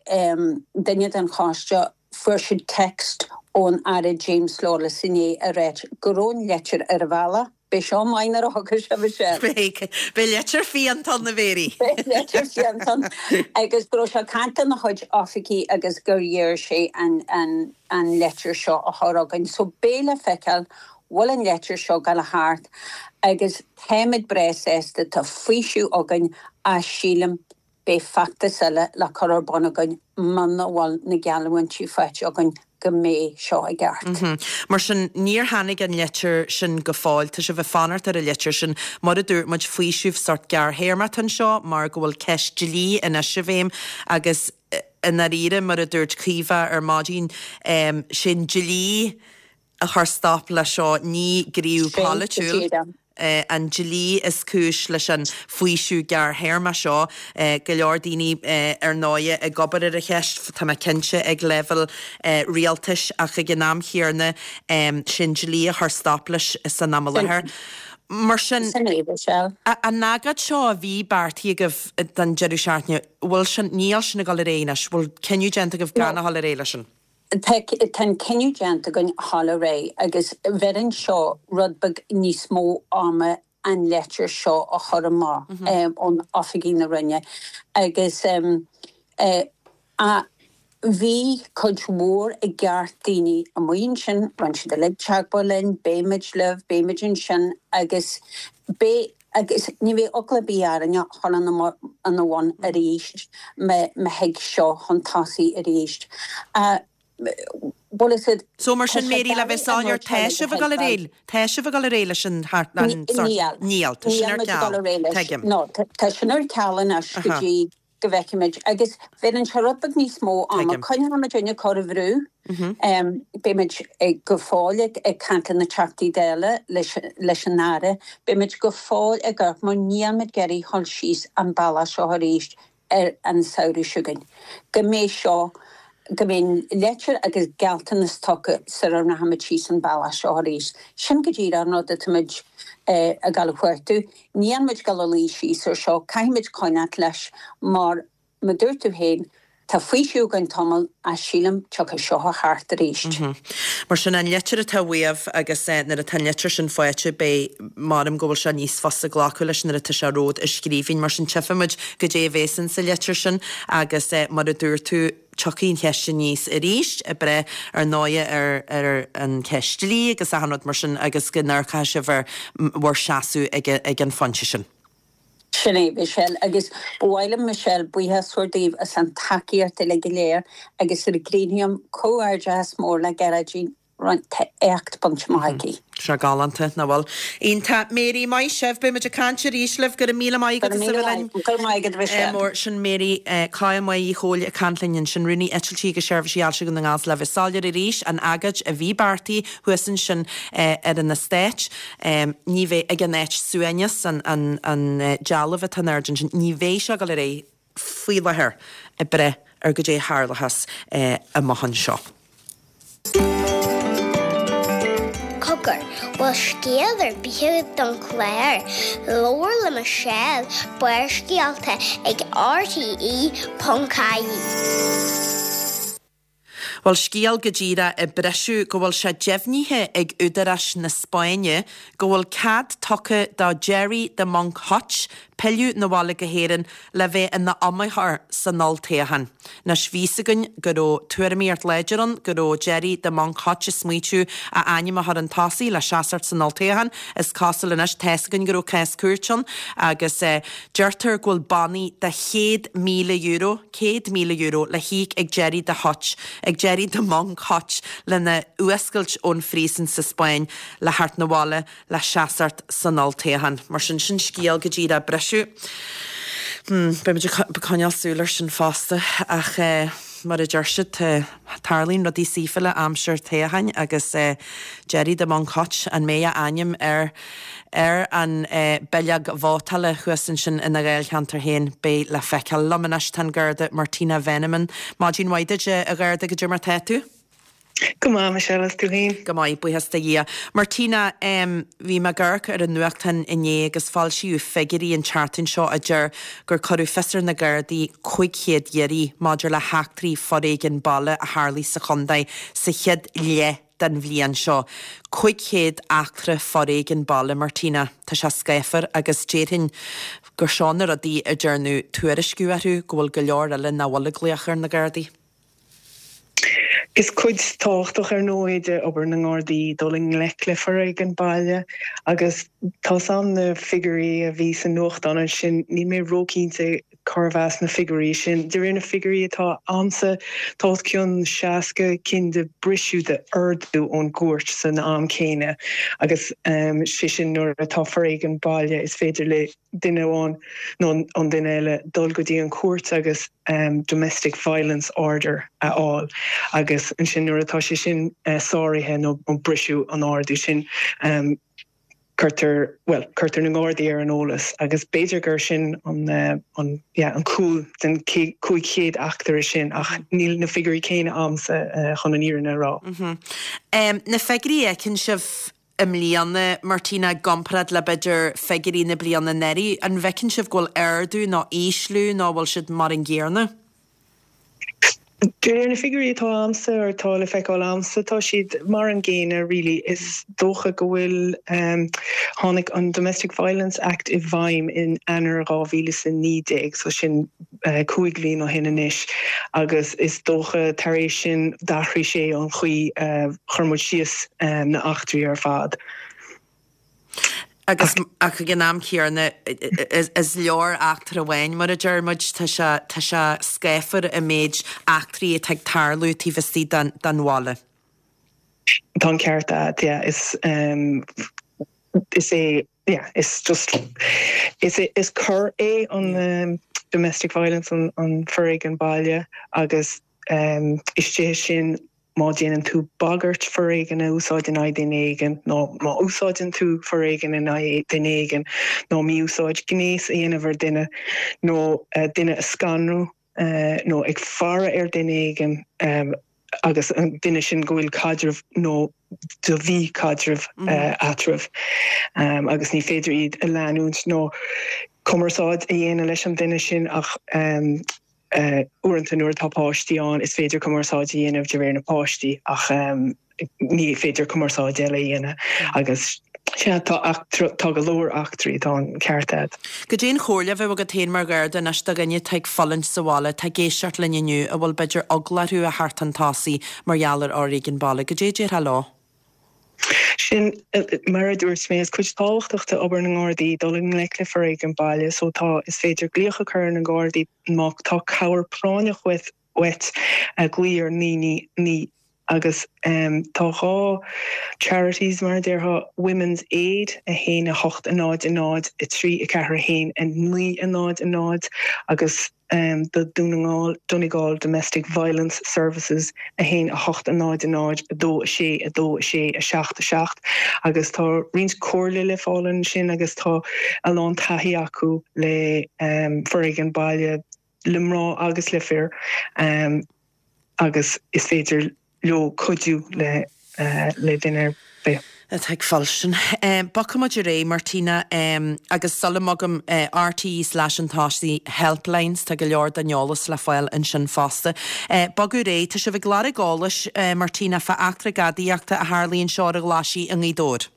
duine den choiste Fuair siad text ón Aire James Lawless inné ag ráit go raibh an leitir ar an bhealach. Beidh seo maith nuair a thiocfaidh sé, Michelle. Beidh. Beidh leitir fiánta ann, a Mhary. Beidh leitir fiánta ann. Agus go raibh sé ag caint lena chuid oifigí agus gur iarr sé an an leitir seo a chur chugainn. So beidh le feiceáil bhfuil an leitir seo ag gabháil a theacht agus táimid breá sásta, tá faoiseamh againn ach sílim Beidh feachtas eile le cur ar bun againn muna bhfuil na geallúintí faighte againn go mbeidh seo i gceart. Mar sin, níor tháinig an litir sin go fóill. Tá sibh ag fanacht ar an litir sin. Mar a dúirt muid, faoiseamh sórt gearrthéarmach atá anseo mar go bhfuil ceist dlí anois i bhfeidhm agus i ndáiríre, mar a dúirt Caoimhe ar maidin, sé'n dlí a chuir stop leis seo, ní gníomh polaitiúil an dlí is cúis leis an faoiseamh gearrthéarma seo. Go leor daoine ar ndóighe ag obair ar an cheist, tá mé cinnte, ag leibhéal rialtais ach ag an am chéanna sé'n dlí a chuir stop leis san am i láthair. Mar sin, an agóid seo a bhí beartaithe agaibh don deireadh seachtaine, bhfuil sin, níl sin ag dul ar aghaidh anois, bhfuil cinneadh déanta agaibh gan a dhul ar aghaidh leis sin? Tá an cinneadh déanta againn a dhul ar aghaidh agus bheireann seo rud beag níos mó ama an leitir seo a chur amach ón oifigí na Roinne agus bhí cuid mhór i gceart daoine amuigh ansin, rinne siad uilig teagmháil linn, beidh muid libh, beidh muid ansin agus beidh Agus ní bheidh eagla ar bith orainne a dhul ina bhun arís má thig seo chun tosaigh arís. Bhuel is iad. So mar sin Mary le bheith soiléir tá sibh ag dul ar aghaidh, tá sibh ag dul ar aghaidh leis an sórt, Níl. Níl, tá sin ar ceal. Tuigim. No, tá sin ar ceal anois go dtí. Go bhfeicfimid. Agus bheireann sé rud beag níos mó ama. Coinneoidh muid ag cur an bhrú. Beimid go fóill ag caint le na Teachtaí Dála, leis an Aire. Beimid go fóill ag amharc mar níl muid ag iarraidh dhul síos an bealach seo arís ar an samhradh seo chugainn. Go mbeidh seo, go mbeidh leitir agus gealltanas tugtha sara rachaimid síos an bealach seo arís. Sin go díreach an rud atáimid ag dul a chuartú. Níl muid ag dul a luí síos ar seo, caithfimid coinneáilt leis mar, mar dúirt tú féin, tá faoiseamh againn tamall ach sílim tiocfaidh seo thart arís. Mar sin, an litir atá uaibh agus nuair atá an litir sin faighte beidh, maram go bhfuil sé níos fusa glacadh leis nuair atá sé romhat i scríbhinn. Mar sin, tchífimid goidé a bhéas in sa litir sin agus mar a dúirt tú, tiocfaidh an cheist aníos arís, ag breith ar ndóighe ar ar an cheist dlí agus achan rud mar sin agus go n-amharcfaidh sibh ar bhur seasamh ag ag an phointe sin. Sin é, Michelle, agus ba mhaith liom, Michelle, buíochas a thabhairt daoibh as an tacaíocht uilig go léir agus ar gcríochnú, comhghairdeachas mór le Gearóidín. Tá éacht bainte amach aici. Sé galánta, nach bhfuil? Iontach. Mary, maith sibh. Beidh muid ag caint arís libh. Go raibh míle maith agat as a bheith linn. Go raibh maith agat, Michelle. Mór. Sin Mary Cáit Uí Chomhaill ag caint linn ansin, Rúnaí Eitiltí agus Seirbhísí Ailse Dhún na nGall 's le bheith soiléir arís, an agóid a bhí beartaithe thuas ansin ar an eastát, ní bheidh, ag an áit suaimhneas, an dealbh atá in airde ansin, ní bheidh sé ag dul ar aghaidh. faoi láthair ag breith ar goidé a tharlóchas amach anseo. Cogar, bhfuil scéal ar bith agat don chlár? Labhair le Michelle, Barrscéalta ag RTE.ie. Bhuel, scéal go díreach ag briseadh go bhfuil sé deimhnithe ag údaráis na Spáinne go bhfuil cead tugtha do Gerry 'The Monk' Hutch pilleadh 'na bhaile go hÉirinn le bheith ina iomaitheoir san olltoghchán. Anois, bhí 'fhios againn go raibh tuairimíocht láidir ann go raibh Gerry 'The Monk' Hutch ag smaoitiú a ainm a chur chun tosaigh le seasacht san olltoghchán. Is cosúil anois, tá's againn go raibh cás cúirte ann agus deirtear go bhfuil bannaí de €100,000, €100,000 le híoc ag Gerry the Hutch, ag Gerry the Monk Hutch lena fhuascailt ón phríosún sa Spáinn le theacht 'na bhaile le seasacht san olltoghchán. Mar sin, sin scéal go díreach ag briseadh. Hmm, beidh muid ag coinneáil súil air sin fosta ach eh, mar a deir siad, tá, tarlaíonn rudaí saoifiúla aimsir toghcháin agus eh, Gerry the Monk Hutch, an mbeidh a ainm ar Ar an bileog vótála thuas ansin ina dháilcheantar féin, beidh le feiceáil. Liom anois tá an Garda Martina Veneman. Maidin mhaith duit, a Gharda, goidé mar tá tú? Go maith, Michelle, is tú féin? Go maith, buíochas do Dhia. Martina, bhí mé ag amharc ar an nuachtán inné agus foilsíodh figiúirí an tseachtain seo a deir gur cuireadh fios ar na Gardaí 500 iarraidh maidir le heachtraí foréigin baile a tharlaigh sa chontae sa chéad leath den bhliain seo. 500 eachtra foréigin baile, Martina. Tá sé scáfar agus déarfainn gur seo na rudaí a ndearnadh tuairisciú orthu, go bhfuil go leor eile nach bhfuil ag glaoch ar na Gardaí. Is cuid tábhachtach ar ndóigh de obair na nGardaí dul i ngleic le foréigean baile agus tá's a'm na figiúirí a bhí sa nuachtán ansin, níl mé róchinnte Cárbh as na figiúirí sin? De réir na figiúirí atá a'msa, tá os cionn 60 cinn de briseadh de ordú ón gcúirt san am céanna agus sé sin nuair atá foréigean baile is féidir le duine amháin nó an duine eile dul go dtí an chúirt agus domestic violence order a fháil agus ansin nuair atá sé sin sáraithe nó briseadh an ordú sin cuirtear, bhuel, cuirtear na Gardaí ar an eolas agus b'fhéidir gur sin an, an, yeah, an cúl den 500 eachtra sin ach níl na figiúirí céanna a'msa chun an fhírinne a rá. Na figiúirí a fheiceann sibh i mbliana, Martina, i gcomparáid le b'fhéidir figiúirí na bliana anuraidh, an bhfeiceann sibh go bhfuil ardú nó ísliú nó an bhfuil siad mar an gcéanna? De réir na figiúirí atá a'msa, or atá le feiceáil a'msa, tá siad mar an gcéanna really. Is dócha go bhfuil, tháinig an Domestic Violence Act i bhfeidhm in Eanáir 2019, so sin 5 bhliain ó shin anois, agus is dócha tar éis sin d'athraigh sé an chaoi a chuir muid síos na eachtraí ar fad. Agus ach ag an am céanna is leor eachtra amháin, mar a deir muid, tá sé, tá sé scáfar an méid eachtraí atá ag tarlú taobh istigh den, den bhaile. Tá an ceart agat, yeah, is, is é, yeah, is just, is é, is cor é an. domestic violence, an foréigean baile agus istigh ansin má déanann tú bagairt foréigean a úsáid in aghaidh duine éigin nó má úsáideann tú foréigean in aghaidh duine éigin nó mí-úsáid gnéis a dhéanamh ar duine nó duine a scanrú nó ag faire ar duine éigin agus an duine sin go bhfuil caidreamh nó do bhí caidreamh eatarthu agus ní féidir iad a leanúint nó cumarsáid a dhéanamh leis an duine sin ach uaireanta nuair atá páistí ann is féidir cumarsáid a dhéanamh de réir na páistí ach ní féidir cumarsáid eile a dhéanamh agus sea tá eachtra, tá go leor eachtraí, tá an ceart a'd. Goidé an chomhairle a bheadh agat féin mar Gharda anois do dhuine atá ag fulaingt sa bhaile, atá ag éisteacht linn inniu, a bhfuil b'fhéidir eagla orthu a theacht chun tosaigh mar gheall ar fhoréigean baile, goidé a déarfá leo? Sin, mar a dúirt mé, is cuid tábhachtach de obair na nGardaí dul i ngleic le foréigean baile so tá, is féidir glaoch a chur ar na Gardaí má tá cabhair práinneach uait, uait, glaoigh ar 9 9 9 agus tá 2 charities mar a déarfá, Women's Aid 1 8 0 0 3 4 1 9 0 0 agus do Dún na nGall, Donegal Domestic Violence Services 1 8 0 0 2 6 2 6 7 7 agus tá roinnt comhairle le fáil ansin agus tá a lán taithí acu le foréigean baile le mná agus le fir agus is féidir leo cuidiú le le duine ar bith. atá ag fuilsint. Bogfaidh muid ar aghaidh, Martina, agus sula mbogaim, RTÉ slash an tosaigh helplines, tá go leor den eolas le fáil ansin fosta. Bogadh ar aghaidh, tá sibh ag lorg eolais, Martina, fá eachtra gadaíochta a tharlaigh anseo ar an Ghlaisigh i nGaoth Dobhair.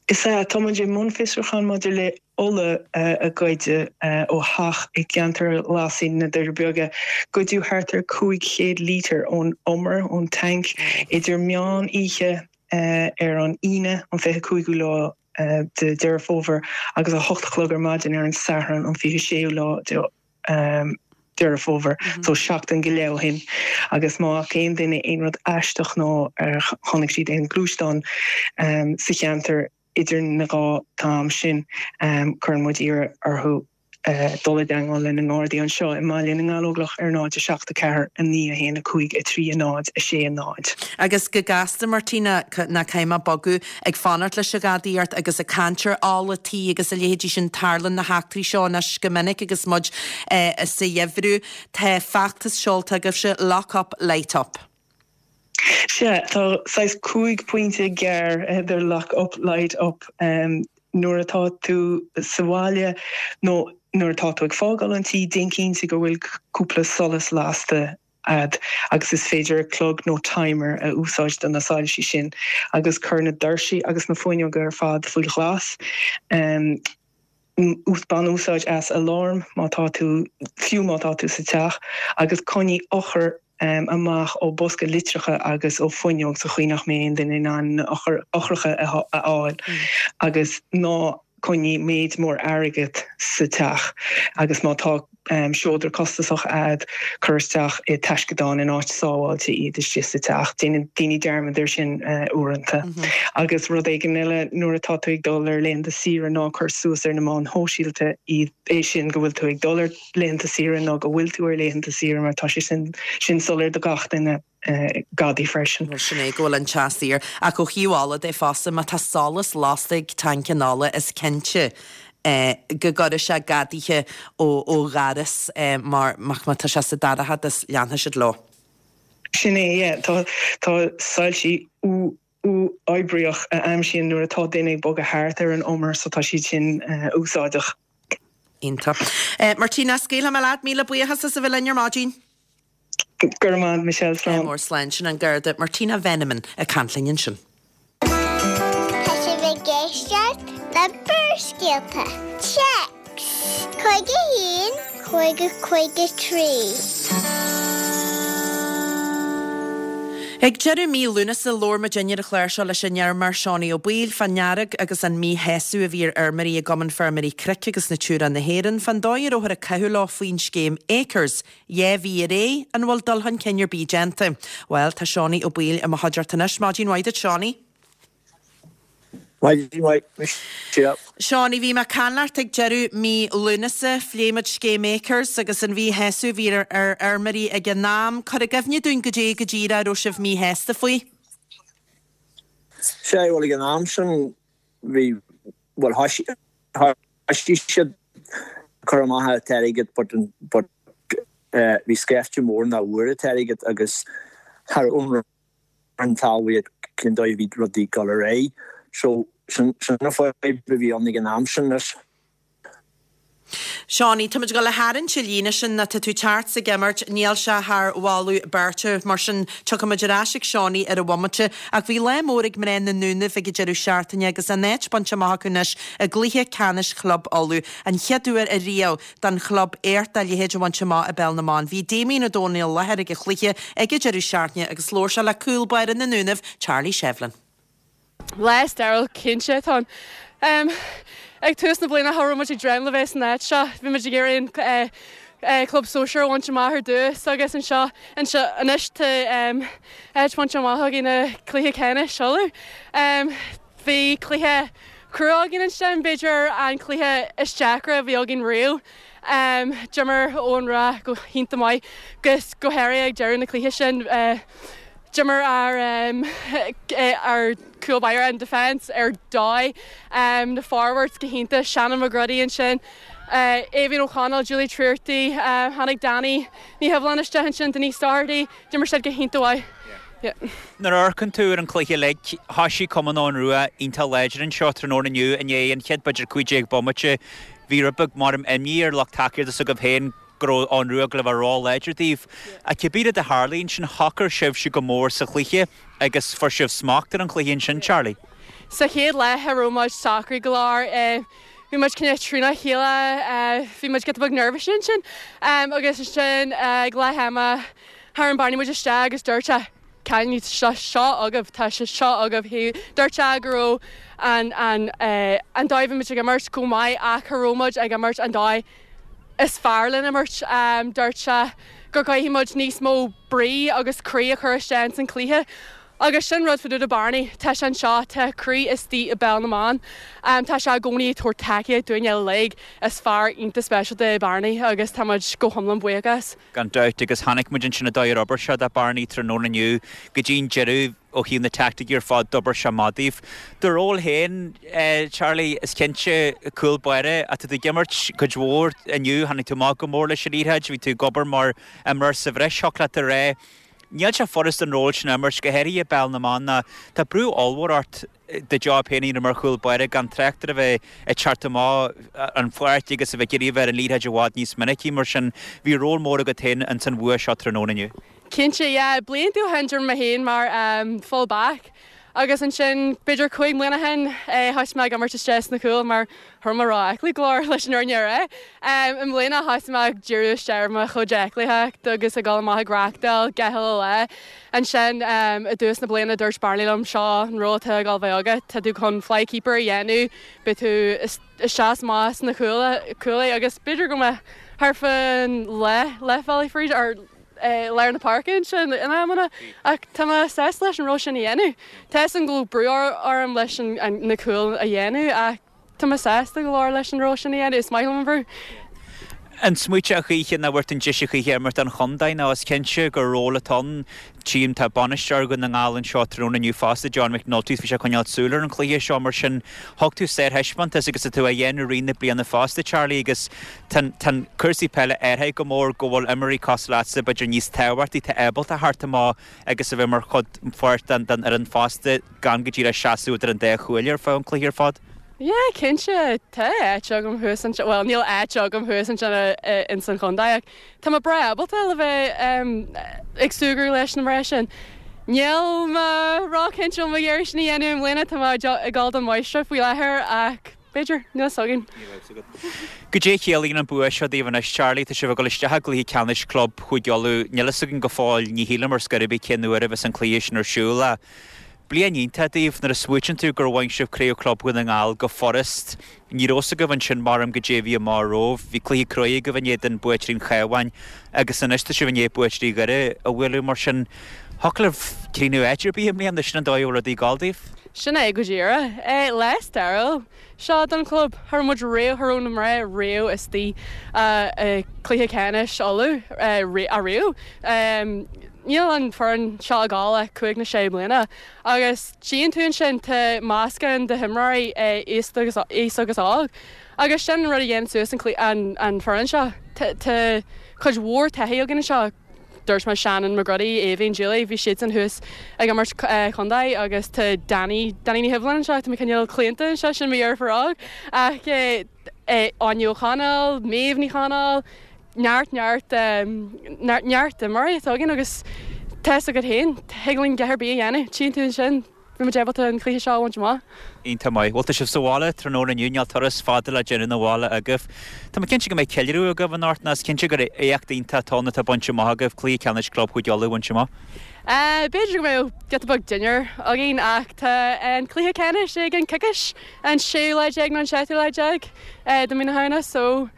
Is ea, tá muid i mbun fiosrúcháin maidir le ola a goideadh ó theach i gceantar Ghlasaigh na Doirí Beaga. Goideadh thart ar 500 lítear ón umar, ón tanc, idir meán oíche ar an Aoine, an 25ú lá de Deireadh Fómhair, agus 8 a chlog ar maidin ar an Satharn, an 26ú lá de Deireadh Fómhair, so seachtain go leith ó shin, agus má fhaca aon duine aon rud aisteach nó ar chonaic siad aon ghluaisteán sa cheantar idir na dhá t-am sin, cuireann muid iarraidh orthu dul i dteangmháil le na nGardaí anseo i mBaile na nGallóglach ar 0 7 4 9 1 5 3 0 6 0. Agus go gasta, Martina, ná caithfidh mé bogadh, ag fanacht leis an ghadaíocht agus ag caint ar ola tí agus a leithéidí sin, tarlaíonn na heachtraí seo anois go minic agus muid sa gheimhreadh. Tá feachtas seolta agaibhse, Lock Up, Light Up. Sea, tá saghas 5 pointe gearr idir Lock Up, Light Up. Nuair atá tú sa bhaile nó nuair atá tú ag fágáil an tí, déan cinnte go bhfuil cúpla solas lasta a'd agus is féidir clog nó timer a úsáid do na soilsí sin agus cuir na doirsí agus na fuinneoga ar fad faoi ghlas. Bain úsáid as aláram má tá tú, fiú má tá tú sa teach, agus coinnigh eochair amach ó bosca litreacha agus ó fuinneog sa chaoi nach mbeidh aon duine in ann na eochracha a fháil agus ná coinnigh méid mór airgead sa teach agus má tá seodra costasach a'd, cuir isteach i taisceadán in áit sábháilte iad istigh sa teach. Déanann daoine dearmad air sin uaireanta. Agus rud éigin eile, nuair atá tú ag dul ar laethanta saoire ná cuir suas ar na meáin shóisialta iad, é sin go bhfuil tú ag dul ar laethanta saoire nó go bhfuil tú ar laethanta saoire mar tá sé sin sin soiléir do gach duine. gadaí freisin. Bhuel, sin é go bhfuil an teach saor. Ach ó thaobh ola de fosta, má tá solas lasta ag tanc an ola, is cinnte go gcuirfidh sé gadaithe ó dhoras mar má tá sé sa dorchadas, leanfaidh siad leo. Sin é, yeah. Tá tá soilsí uathoibríoch a aimsíonn nuair atá duine ag bogadh thart ar an umar so tá siad sin úsáideach. Iontach. Martina, scaoilfidh mé leat. Míle buíochas as a bheith linn ar maidin. Go raibh maith agat, Michelle. Slán. Mór slán. Sin an Garda Martina Veneman ag caint linn ansin. Tá sibh ag éisteacht le Barrscéalta. Téacs 51 50 53. Ag deireadh mí Lúnasa labhair muid ar an chlár seo leis an fheirmeoir Seánie Ó Baoill fán fhearg agus an míshásamh a bhí ar fheirmeoirí i gCumann Feirmeoirí Cnoic agus Natura na hÉireann fán dóigh a rabhthar ag caitheamh leo faoin scéim Acres. 2 mhí ar aghaidh, an bhfuil dul chun cinn ar bith déanta? Bhuel, tá Seánie Ó Baoill i mo chuideachta anois. Maidin mhaith duit, Seánie. Maidin mhaith, Michelle. Seánie, bhí mé ag caint leat ag deireadh mí Lúnasa. Phléigh muid scéim Acres agus an mhíshásamh a bhí ar fheirmeoirí ag an am. Cuir i gcuimhne dúinn goidé go díreach a raibh sibh míshásta faoi. Sea, bhuel ag an am sin bhí, bhuel thoisigh siad ag cur amach an t-airgead but, but bhí scaifte mór nach bhfuair an t-airgead agus cha raibh an talmhaíocht cén dóigh a bhí rudaí ag dul ar aghaidh. So sin an fadhb a bhí ann ag an am sin. Anois. Seánie, tá muid ag dul a tharraingt an líne sin nó tá tú teacht 's ag imirt, níl sé thar mholadh beirte, mar sin tiocfaidh muid ar ais ag Seánie ar an bhomaite. Ach bhí lá mór ag mná na nDúnaibh ag an deireadh seachtaine agus a n-áit bainte amach acu anois i gcluiche ceannais Chlub Uladh, an chéad uair ariamh don chlub éacht dá leithéid a bhaint amach i bPeil na mBan. Bhí Damien Ó Dónaill i láthair ag an chluiche ag an deireadh seachtaine agus labhair sé le cúl báire na nDúnaibh, Charlie Shevlin. Lá stairiúil cinnte atá ann. Ag tús na bliana cha raibh muid ag dréim le bheith san áit seo. Bhí muid ag iarraidh an club sóisear a bhaint amach ar dtús agus anseo anseo anois tá áit bainte amach againn i cluiche ceannais Uladh. Bhí cluiche crua againn ansin, b'fhéidir an cluiche is deacra a bhí againn riamh. D'imir Eoghan Rua go hiontach maith agus go háirithe ag deireadh na cluiche sin. D'imir ár ár cúl báire an defence ar dóigh, na forwards go hiontach, Shannon McGruddy ansin, Aoibhín O'Connell, Julie Treorchy, tháinig Danny Ní Shuibhleáin isteach ansin, Denise Doherty, D'imir siad go hiontach mhaith. Yeah. Nuair a amharcann tú ar an chluiche uilig, thoisigh Cumann Eoghan Rua iontach láidir anseo tráthnóna inniu i ndiaidh an chéad b'fhéidir 15 bomaite. Bhí rud beag maram imní ar lucht tacaíochta s'agaibh féin go raibh Eoghan Rua ag dul a bheith ró-láidir daoibh. Ach cibé rud a tharlaigh ansin, shocair sibhse go mór sa chluiche agus fuair sibh smacht ar an chluiche ansin, Charlie. Sa chéad leath cha raibh muid socraithe go leor. Bhí muid cineál trína chéile, bhí muid giota beag neirbhíseach ansin agus ansin ag leath ama tharraing Barney muid isteach agus dúirt sé cailíní tá sé seo agaibh, tá sé seo agaibh. Dúirt sé go raibh an an an dóigh a bhí muid ag imirt go maith ach cha raibh muid ag imirt an dóigh is fearr lena imirt. Dúirt sé go gcaithfidh muid níos mó brí agus croí a chur isteach ins an cluiche. Agus sin rud fá dtaobh de Barney, tá sé anseo, tá a chroí istigh i bPeil na mBan, tá sé i gcónaí ag tabhairt tacaíocht dúinn uilig, is fear iontach speisialta é Barney agus tá muid go hiomlán buíoch as. Gan dabht, agus chonaic muid ansin an dóigh ar obair sé do Barney tráthnóna inniu go dtí an deireadh ó thaobh na teaicticí ar fad, d'obair sé maith daoibh. Do ról féin, Charlie, is cinnte, cúl báire, ach tá tú ag imirt cuid mhór inniu, tháinig tú amach go mór leis an liathróid, bhí tú ag obair mar imreoir sa bhreis, thiocfadh leat a rá. Níl sé furast an ról sin a imirt, go háirithe i bpeil na mban, ná tá brú ollmhór ort do job féin a dhéanamh mar chúl báire gan trácht ar a bheith ag teacht amach an pháirc agus a bheith ag iarraidh a bheith ar an liathróid i bhfad níos minicí. Mar sin, bhí ról mór agat féin ins an bhua seo tráthnóna inniu. Cinnte, yeah. Blianta ó shin d'imir mé féin mar full back agus ansin b'fhéidir 5 mbliana ó shin thosaigh mé ag imirt isteach sna cúil mar cha raibh mé ró-aclaí go leor leis an fhírinne a rá. I mbliana thosaigh mé ag díriú isteach ar mo chuid aclaíochta agus ag dul amach ag reachtáil gach uile lá. Ansin i dtús na bliana dúirt Barney liom seo an ról atá ag dul a bheith agat, tá tú chun fly keeper a dhéanamh, beidh tú isteach is amach sna cúlaí agus b'fhéidir go mbeidh thart fán leath, leathbhealaigh fríd or lár na páirce ansin in amanna ach tá mé sásta leis an ról sin a dhéanamh. Tá 'fhios agam go bhfuil brú orm leis na cúil a dhéanamh ach tá mé sásta go leor leis an ról sin a dhéanamh, is maith liom an brú. An smaoiteofá a choíche nach bhfuair tú an deis a choíche imirt don chontae nó is cinnte gur ról atá ann. Tchím tá bainisteoir Dhún na nGall anseo tráthnóna inniu fosta, John McNulty, is bhí sé ag coinneáil súil ar an chluiche seo mar sin thug tú sárthaispeántas agus tá tú á dhéanamh i rith na bliana fosta Charlie agus Tá cúrsaí peile athraithe go mór go bhfuil imreoirí cosúil leatsa b'fhéidir níos tábhachtaí, atá ábalta theacht amach agus a bheith mar chuid pháirt den fhoireann fosta gan go díreach seasamh idir an dá chuaille ar feadh an chluiche ar fad. Yeah, cinnte, tá áit agam thuas ansin, bhuel níl áit agam thuas ansin ins an chontae ach tá mé breá ábalta le bheith ag súgradh leis na mná sin. Níl mé ró-chinnte an bhfuil mé ag iarraidh sin a dhéanamh i mbliana, tá mé ag dul don mháistreacht faoi láthair ach B'fhéidir, níl fhios againn. Níl fhios agat. Goidé a chiallaíonn an bua seo daoibh anois, Charlie? Tá sibh ag dul isteach i gcluiche ceannais club Chúige Uladh. Níl fhios againn go fóill, ní shílim ar scor ar bith cén uair a bheas an cluiche sin ar siúl ach bliain iontach daoibh nuair a smaoitíonn tú gur bhain sibh Craobh Club Dhún na nGall go furast. Ní raibh fhios agaibh ansin maram goidé a bhí amach romhaibh. Bhí cluiche cruaidh agaibh in éadan buaiteoirí an Chabháin agus anois tá sibh i ndiaidh buaiteoirí Dhoire a bhualadh mar sin thiocfadh libh críochnú áit ar bith i mbliana, sin an dóigh a bhfuil rudaí ag dul daoibh. Sin é go díreach. Lá stairiúil seo don chlub. Cha raibh muid riamh, cha raibh na mná riamh istigh i gcluiche ceannais Uladh ariamh. Níl an foireann seo ag gabháil ach 5 nó 6 bliana agus tchíonn tú ansin tá meascán de himreoirí aosta agus aos agus óg agus sin an rud a dhéanann suas an an foireann seo. Tá cuid mhór taithí againn anseo. Dúirt mé Shannon McGruddy, Aoibhinn, Julie, bhí siadsan thuas ag imirt contae agus tá Danny, Danny Ní Shuibhleáin anseo, tá mé cineál claonta anseo, sin mo dheirfiúr óg. Ach Áine O'Connell, Méabh Ní Chonaill, neart, neart, neart imreoirí atá againn agus tá fhios agat féin, thig linn a dhath ar bith a dhéanamh, tchíonn tú ansin. Bhí muid ábalta an cluiche seo a bhaint amach. Iontach maith. Bhuel, tá sibh sa bhaile tráthnóna inniu, níl turas fada le déanamh 'na bhaile agaibh. Tá mé cinnte go mbeidh ceiliúradh agaibh anocht, nó is cinnte gur éacht iontach atá ann atá bainte amach agaibh, cluiche ceannais Club Chúige Uladh a bhaint amach. B'fhéidir go mbeadh giota beag dinnéar againn ach tá an cluiche ceannais i gceann coicís, an séú lá déag nó an seachtú lá déag de mhí na Samhna so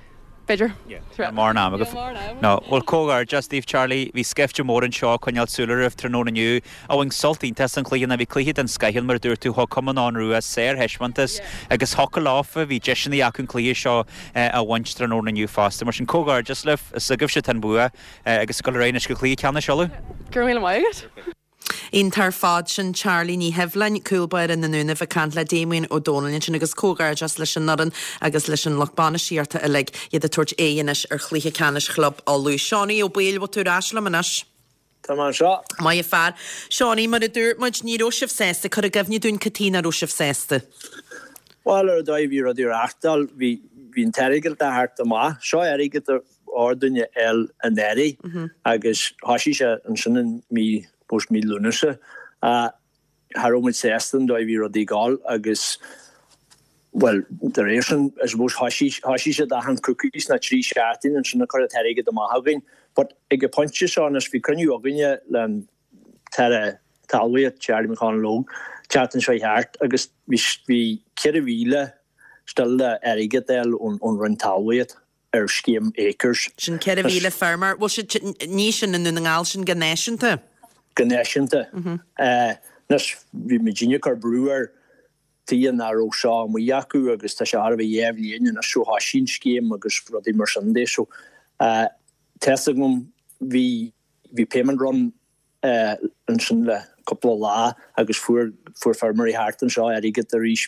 B'fhéidir. Níl mórán ama agaibh. No. Bhuel, comhghairdeas daoibh, Charlie. Bhí scaifte mór anseo ag coinneáil súil oraibh tráthnóna inniu. A bhain sult iontach as an chluiche ná bhí cluiche den scoith ann, mar a dúirt tú, thug Cumann Eoghan Rua sárthaispeántas agus thiocfadh leofa, bhí deiseanna acu an cluiche seo a bhaint tráthnóna inniu fosta. Mar sin, comhghairdeas libh, is agaibhse atá an bua agus ag dul ar aghaidh anois go cluiche ceannais Uladh. Go raibh míle maith agat. Iontach ar fad. Sin Charlie Ní Shibhleáin, cúl báire na nDúnaibh ag caint le Damien Ó Dónaill ansin agus comhghairdeas leis an fhoireann agus leis an lucht bainistíochta uilig, iad ag tabhairt aghaidh anois ar chluiche ceannais Chlub Uladh. Seánie Ó Baoill, bhfuil tú ar ais liom anois? Tá mé anseo. Maith an fear. Seánie, mar a dúirt muid, ní raibh sibh sásta. Cuir i gcuimhne dúinn cad chuige nach raibh sibh sásta. Bhuel, ar an dóigh a bhí rudaí ag reáchtáil, bhí an t-airgead ag teacht amach. Seo airgead a chóir dúinn a fháil anuraidh agus thoisigh sé ansin in mí, suppose mí Lúnasa. Cha raibh muid sásta an dóigh a bhí rudaí ag gabháil agus, bhuel, de réir sin, I suppose thoisigh, thoisigh siad achan coicís nó 3 seachtain ansin ag cur an t-airgead amach againn. But ag an pointe seo anois bhí cruinniú againne le an tAire Talmhaíochta, Charlie McConalogue, an tseachtain seo thart agus bhí, bhí 4,000 still le airgead a fháil ón Roinn Talmhaíochta. ar scéim Acres. Sin 4,000 feirmeoir. Bhuel, sin, ní sin i nDún na nGall, sin go náisiúnta. Go náisiúnta. Anois, bhí muidinne ag cur brú air tuige nach raibh seo amuigh acu agus tá sé chóir a bheith dhá bhliain anois ó thoisigh an scéim agus rudaí mar sin de. So, tá fhios agam, bhí, bhí payment run ansin le cúpla lá agus fuair fuair feirmeoirí thart anseo airgead arís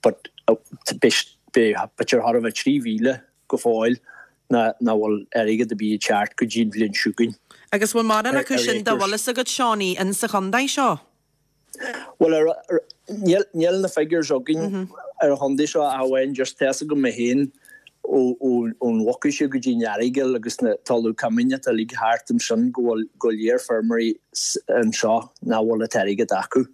but beidh b'fhéidir chóir a bheith 3,000 go fóill nach bhfuil airgead ar bith ag teacht go dtí an bhliain seo chugainn. Agus bhfuil mórán acu sin dá bhfuil fhios agat Seánie in sa chontae seo? Bhuel níl níl na figures againn ar an chontae seo ach amháin just tá fhios agam mé féin ón Mhucais go dtí an Earagail agus na talamh coimín atá uilig thart ansin go bhfuil go leor feirmeoirí anseo nach bhfuil an t-airgead acu.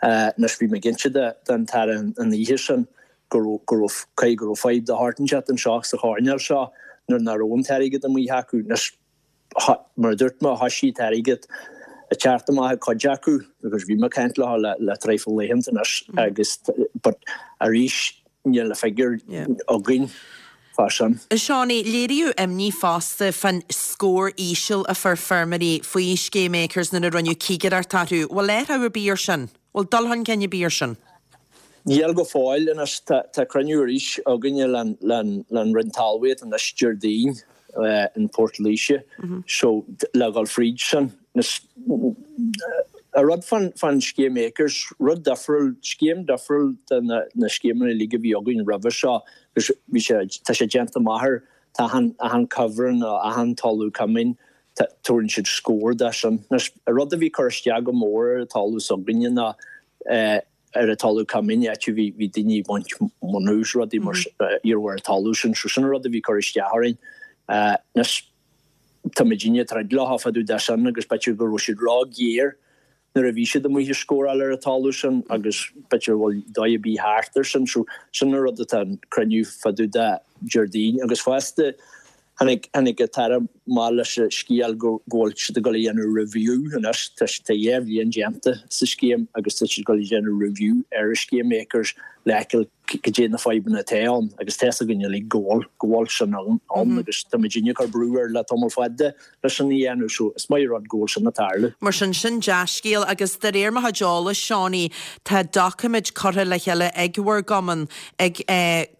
Anois bhí mé ag inse don tAire an oíche sin go raibh go raibh caithfidh go raibh fadhb de shórt inteacht anseo sa choirnéal seo nuair nach raibh an t-airgead amuigh acu. Anois Mar a dúirt mé, thoisigh an t-airgead ag teacht amach ag cuid acu agus bhí mé ag caint leo le le traidhfil laethanta anois agus but arís níl na figiúir againn fá sin. A Seánie, léiríodh imní fosta fán scór íseal a fuair feirmeoirí faoi scéim Acres nuair a rinneadh cigireacht orthu. Bhfuil athrú ar bith ar sin? Bhfuil dul chun cinn ar bith ar sin? Níl go fóill anois. Tá cruinniú arís againne le Roinn Talmhaíochta anois Déardaoin in Port Laoise so le dhul fríd sin. An rud fán scéim Acres, rud difriúil, scéim difriúil de na scéimeanna uilig a bhí againn roimhe seo agus bhí sé, tá sé déanta amach ar, tá achan, achan cuibhreann nó achan talamh coimín, tabharann siad scór de sin. Anois, an rud a bhí ag cur isteach go mór ar an talamh s'againne ná ar an talamh coimín, áit a bhí bhí daoine ag baint munna is rudaí mar you know ar an talamh sin, so sin an rud a bhí ag cur isteach orainn. Anois, tá muidinne ag troid leo fá dtaobh de sin agus b'fhéidir go raibh siad ró-ghéar nuair a bhí siad amuigh ag scóráil ar an talamh sin agus b'fhéidir bhfuil dóigh ar bith thart ar sin. So sin an rud atá an cruinniú fá dtaobh de Déardaoin agus fosta tháinig tháinig an tAire amach leis an scéal go go bhfuil siad ag dul a dhéanamh review anois tá tá dhá bhliain déanta sa scéim agus tá siad ag dul a dhéanamh review ar an scéim Acres le feiceáil. Goidé na fadhbanna atá ann agus tá's againn uilig go bhfuil, go bhfuil sin ann agus tá muidinne ag cur brú air le tamall fada leis sin a dhéanamh so is maith an rud go bhfuil sin ag tarlú. Mar sin, sin dea-scéal agus de réir mo chuid eolais, Seánie, tá doiciméid curtha le chéile ag bhur gcumann, ag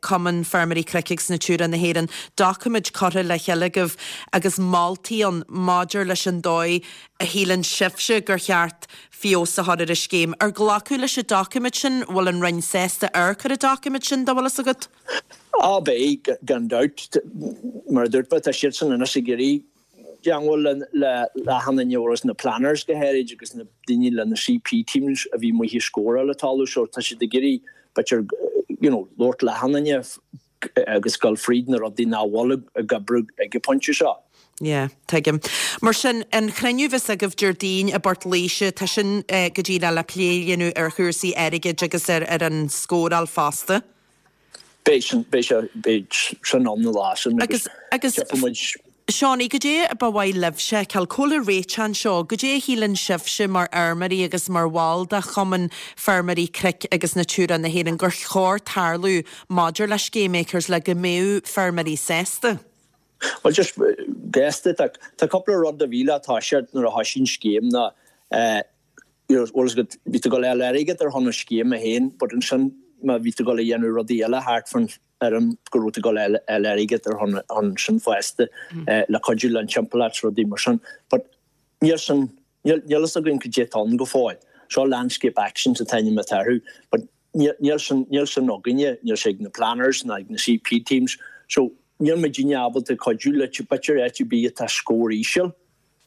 Cumann Feirmeoirí Cnoic agus Natura na hÉireann, doiciméid curtha le chéile agaibh agus moltaí ann maidir leis an dóigh a shíleann sibhse gur cheart feabhas a chur ar an scéim. Ar glacadh leis an doiciméad sin? Bhfuil an Roinn sásta amharc ar an doiciméad sin, dá bhfuil fhios agat? Á beidh, gan dabht. Mar a dúirt mé, tá siadsan anois ag iarraidh teangmháil le achan duine agus na planners go háirid agus na daoine le na CP teams a bhí amuigh ag scóráil an talamh so tá siad ag iarraidh b'fhéidir you know labhairt le achan duine agus dul fríd na rudaí nach bhfuil ag oibriú ag an bpointe seo. Yeah, tuigim. Mar sin, an chruinniú bheas agaibh Déardaoin i bPort Laoise, tá sin go díreach le plé a dhéanamh ar chúrsaí airgid agus ar ar an scóráil fosta. Beidh sin, beidh sé, beidh sin ann an lá sin agus Agus, tiocfaidh muid. Seánie, goidé ba mhaith libhse a fheiceáil, cá bhfuil an réiteach anseo, goidé a shíleann sibhse mar fheirmeoirí agus mar bhall de Chumann Feirmeoirí Cnoic agus Natura na hÉireann gur chóir tarlú maidir le scéim Acres le go mbeadh feirmeoirí sásta? Bhuel, just gasta, tá tá cúpla rud a bhí le toiseacht nuair a thoisigh an scéim ná eh you know, bhfuil fhios agat, bhí tú ag dul a fháil airgead ar shon an scéime féin but ansin má bhí tú ag dul a dhéanamh rudaí eile thart fán fheirm go raibh tú ag dul a fháil airgead ar shon sin fosta le cuidiú le an timpeallacht 's rudaí mar sin. But níl sin, níl fhios againn cad é atá ann go fóill. Seo Landscape Actions an t-ainm atá orthu but níl sin, níl sin againne, níl sé ag na planners ná ag na CP teams. So níl muidinne ábalta cuidiú leat, b'fhéidir áit ar bith atá scór íseal,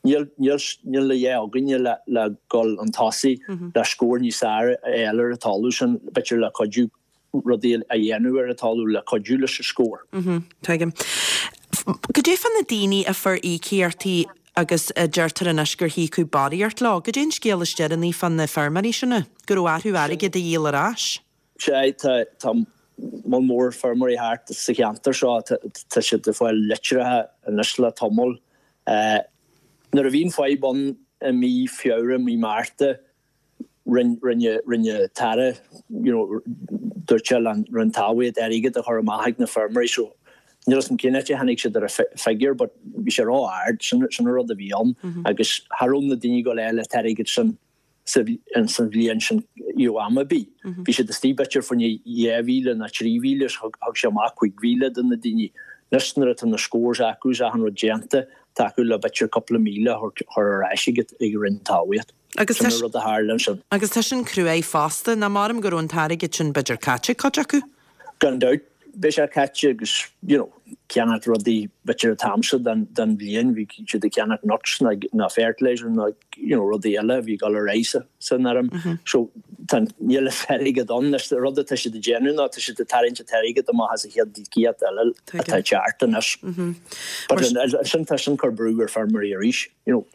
níl, níl, níl a dhath againne le, le dhul chun tosaigh le scór níos fearr a fháil ar an talamh sin, b'fhéidir le cuidiú rudaí a dhéanamh ar an talamh le cuidiú leis an scór. Tuigim. Goidé fá na daoine a fuair íocaíochtaí agus a deirtear anois gur híocadh barraíocht leo? Goidé an scéal is deireanaí fá na feirmeoirí sin? Go raibh orthu airgead a dhíol ar ais? Sea, tá, tá moll mór feirmeoirí thart sa cheantar seo, tá siad ag fáil litreacha anois le tamall. Nuair a bhí an fadhb ann i mí Feabhra, mí Márta, Rinne, rinne an tAire, you know, dúirt sé le Roinn Talmhaíochta airgead a chur amach ag na feirmeoirí so níl 'fhios a'm cén áit a tháinig siad ar an figure but bhí sé ró-ard, sin, sin an rud a bhí ann agus cha raibh na daoine ag dul a fháil an t-airgead sin sa, san bhliain sin you know, am ar bith. Bhí siad istigh b'fhéidir fá choinne 2,000 nó 3,000 is thug, thug sé amach 5,000 do na daoine. Anois nuair atá na scores acu is achan rud déanta, tá acu le b'fhéidir cúpla míle a chur ar ais ag, ag Roinn Talmhaíochta. Agus Sin an rud a tharla ansin. Agus tá sin cruaidh fosta, nach maram go raibh an t-airgead sin b'fhéidir caite ag cuid acu? Gan dabht, beidh sé caite agus, you know, ceannacht rudaí b'fhéidir an t-am seo den, den bhliain, bhí siad ag ceannacht nuts ná, ná fertilizer ná, you know, rudaí eile a bhí ag dul ar aghaidh sa, san fheirm. So, tá, níl an t-airgead ann. Anois, an rud atá siad ag déanamh ná tá siad ag tarraingt an t-airgead amach as an chéad íocaíocht eile atá ag teacht anois. But ansin tá sin ag cur brú ar feirmeoirí arís. you know.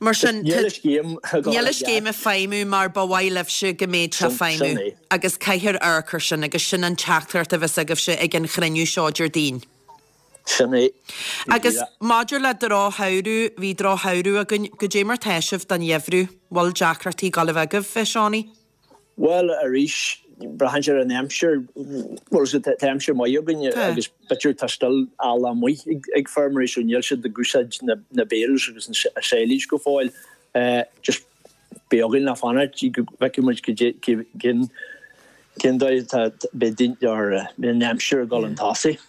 Mar sin, níl an scéim níl an scéim ag feidhmiú mar ba mhaith libhse go mbeadh sé ag feidhmiú agus caithfear amharc air sin agus sin an teachtaireacht a bheas agaibhse ag an chruinniú seo Déardaoin. Sin é. Agus maidir le drochshamhradh, bhí drochshamhradh againn, goidé mar tá sibh don gheimhreadh? Bhfuil deacrachtaí ag dul a bheith agaibh, a Seánie? Bhuel, arís, braitheann sé ar an aimsir. Bhuel, tá aimsir maith againn agus b'fhéidir tá still eallach amuigh ag feirmeoirí so níl siad ag úsáid na bales agus an silage go fóill. Just beidh againn le fanacht go bhfeicfidh muid cén cén dóigh atá beidh daoine or beidh an aimsir ag dul chun tosaigh.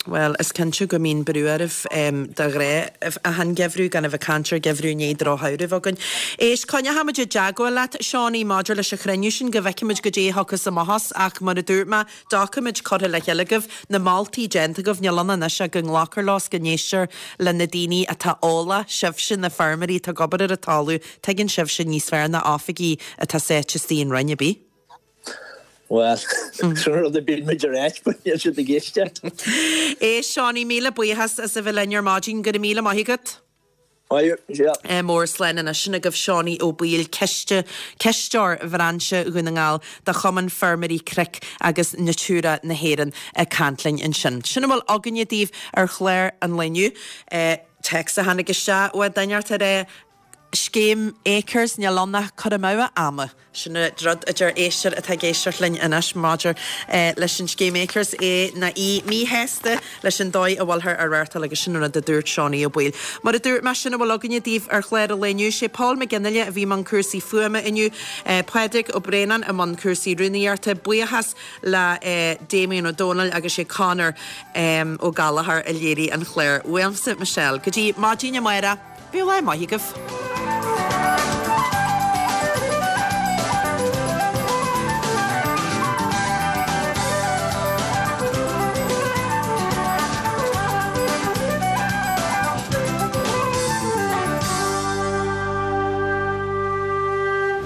Bhuel, is cinnte go mbíonn brú oraibh de ghnáth achan gheimhreadh, gan a bheith ag caint ar gheimhreadh i ndiaidh drochshamhradh a bheith againn. Éist, coinneochaimid i dteagmháil leat, Seánie, maidir leis an chruinniú sin, go bhfeicfimid goidé a thiocfas amach as, ach mar a dúirt mé, doiciméid curtha le chéile agaibh, na moltaí déanta agaibh, níl ann anois ach go nglacfar leo is go n-éistear le na daoine atá eolach, sibhse, na feirmeoirí atá ag obair ar an talamh, tuigeann sibhse níos fearr ná oifigigh atá sáite istigh in Roinn ar bith. Bhuel, sin an rud a bíonn muid a ráit, but níl siad ag éisteacht. Éist, Seánie, míle buíochas as a bheith linn ar maidin. Go raibh míle maith agat. Maith thú, yeah. Mór slán anois. Sin agaibh Seánie Ó Baoill, ciste, cisteoir Bhrainse Dhún na nGall de Chumann Feirmeoirí Cnoic agus Natura na hÉireann ag caint linn ansin. Sin a bhfuil againne daoibh ar chlár an lae inniu. Téacs a tháinig isteach ó duine ag rá. Scéim Acres, níl ann ach cur amú ama. Sin an rud a deir éisteoir atá ag éisteacht linn anois maidir leis an scéim Acres, é nó í míshásta leis an dóigh a bhfuilthear á reáchtáil agus sin an rud a dúirt Seánie Ó Baoill. Mar a dúirt mé, sin a bhfuil againne daoibh ar chlár an lae inniu. Sé Paul McGinley a bhí i mbun cúrsaí fuaime inniu, Pádraig Ó Braonáin i mbun cúrsaí rúnaíochta. Buíochas le Damien Ó Dónaill agus sé Conor Ó Gallchóir a léirigh an clár. Uaimse, Michelle. Go dtí maidin amárach, bíodh lá maith agaibh.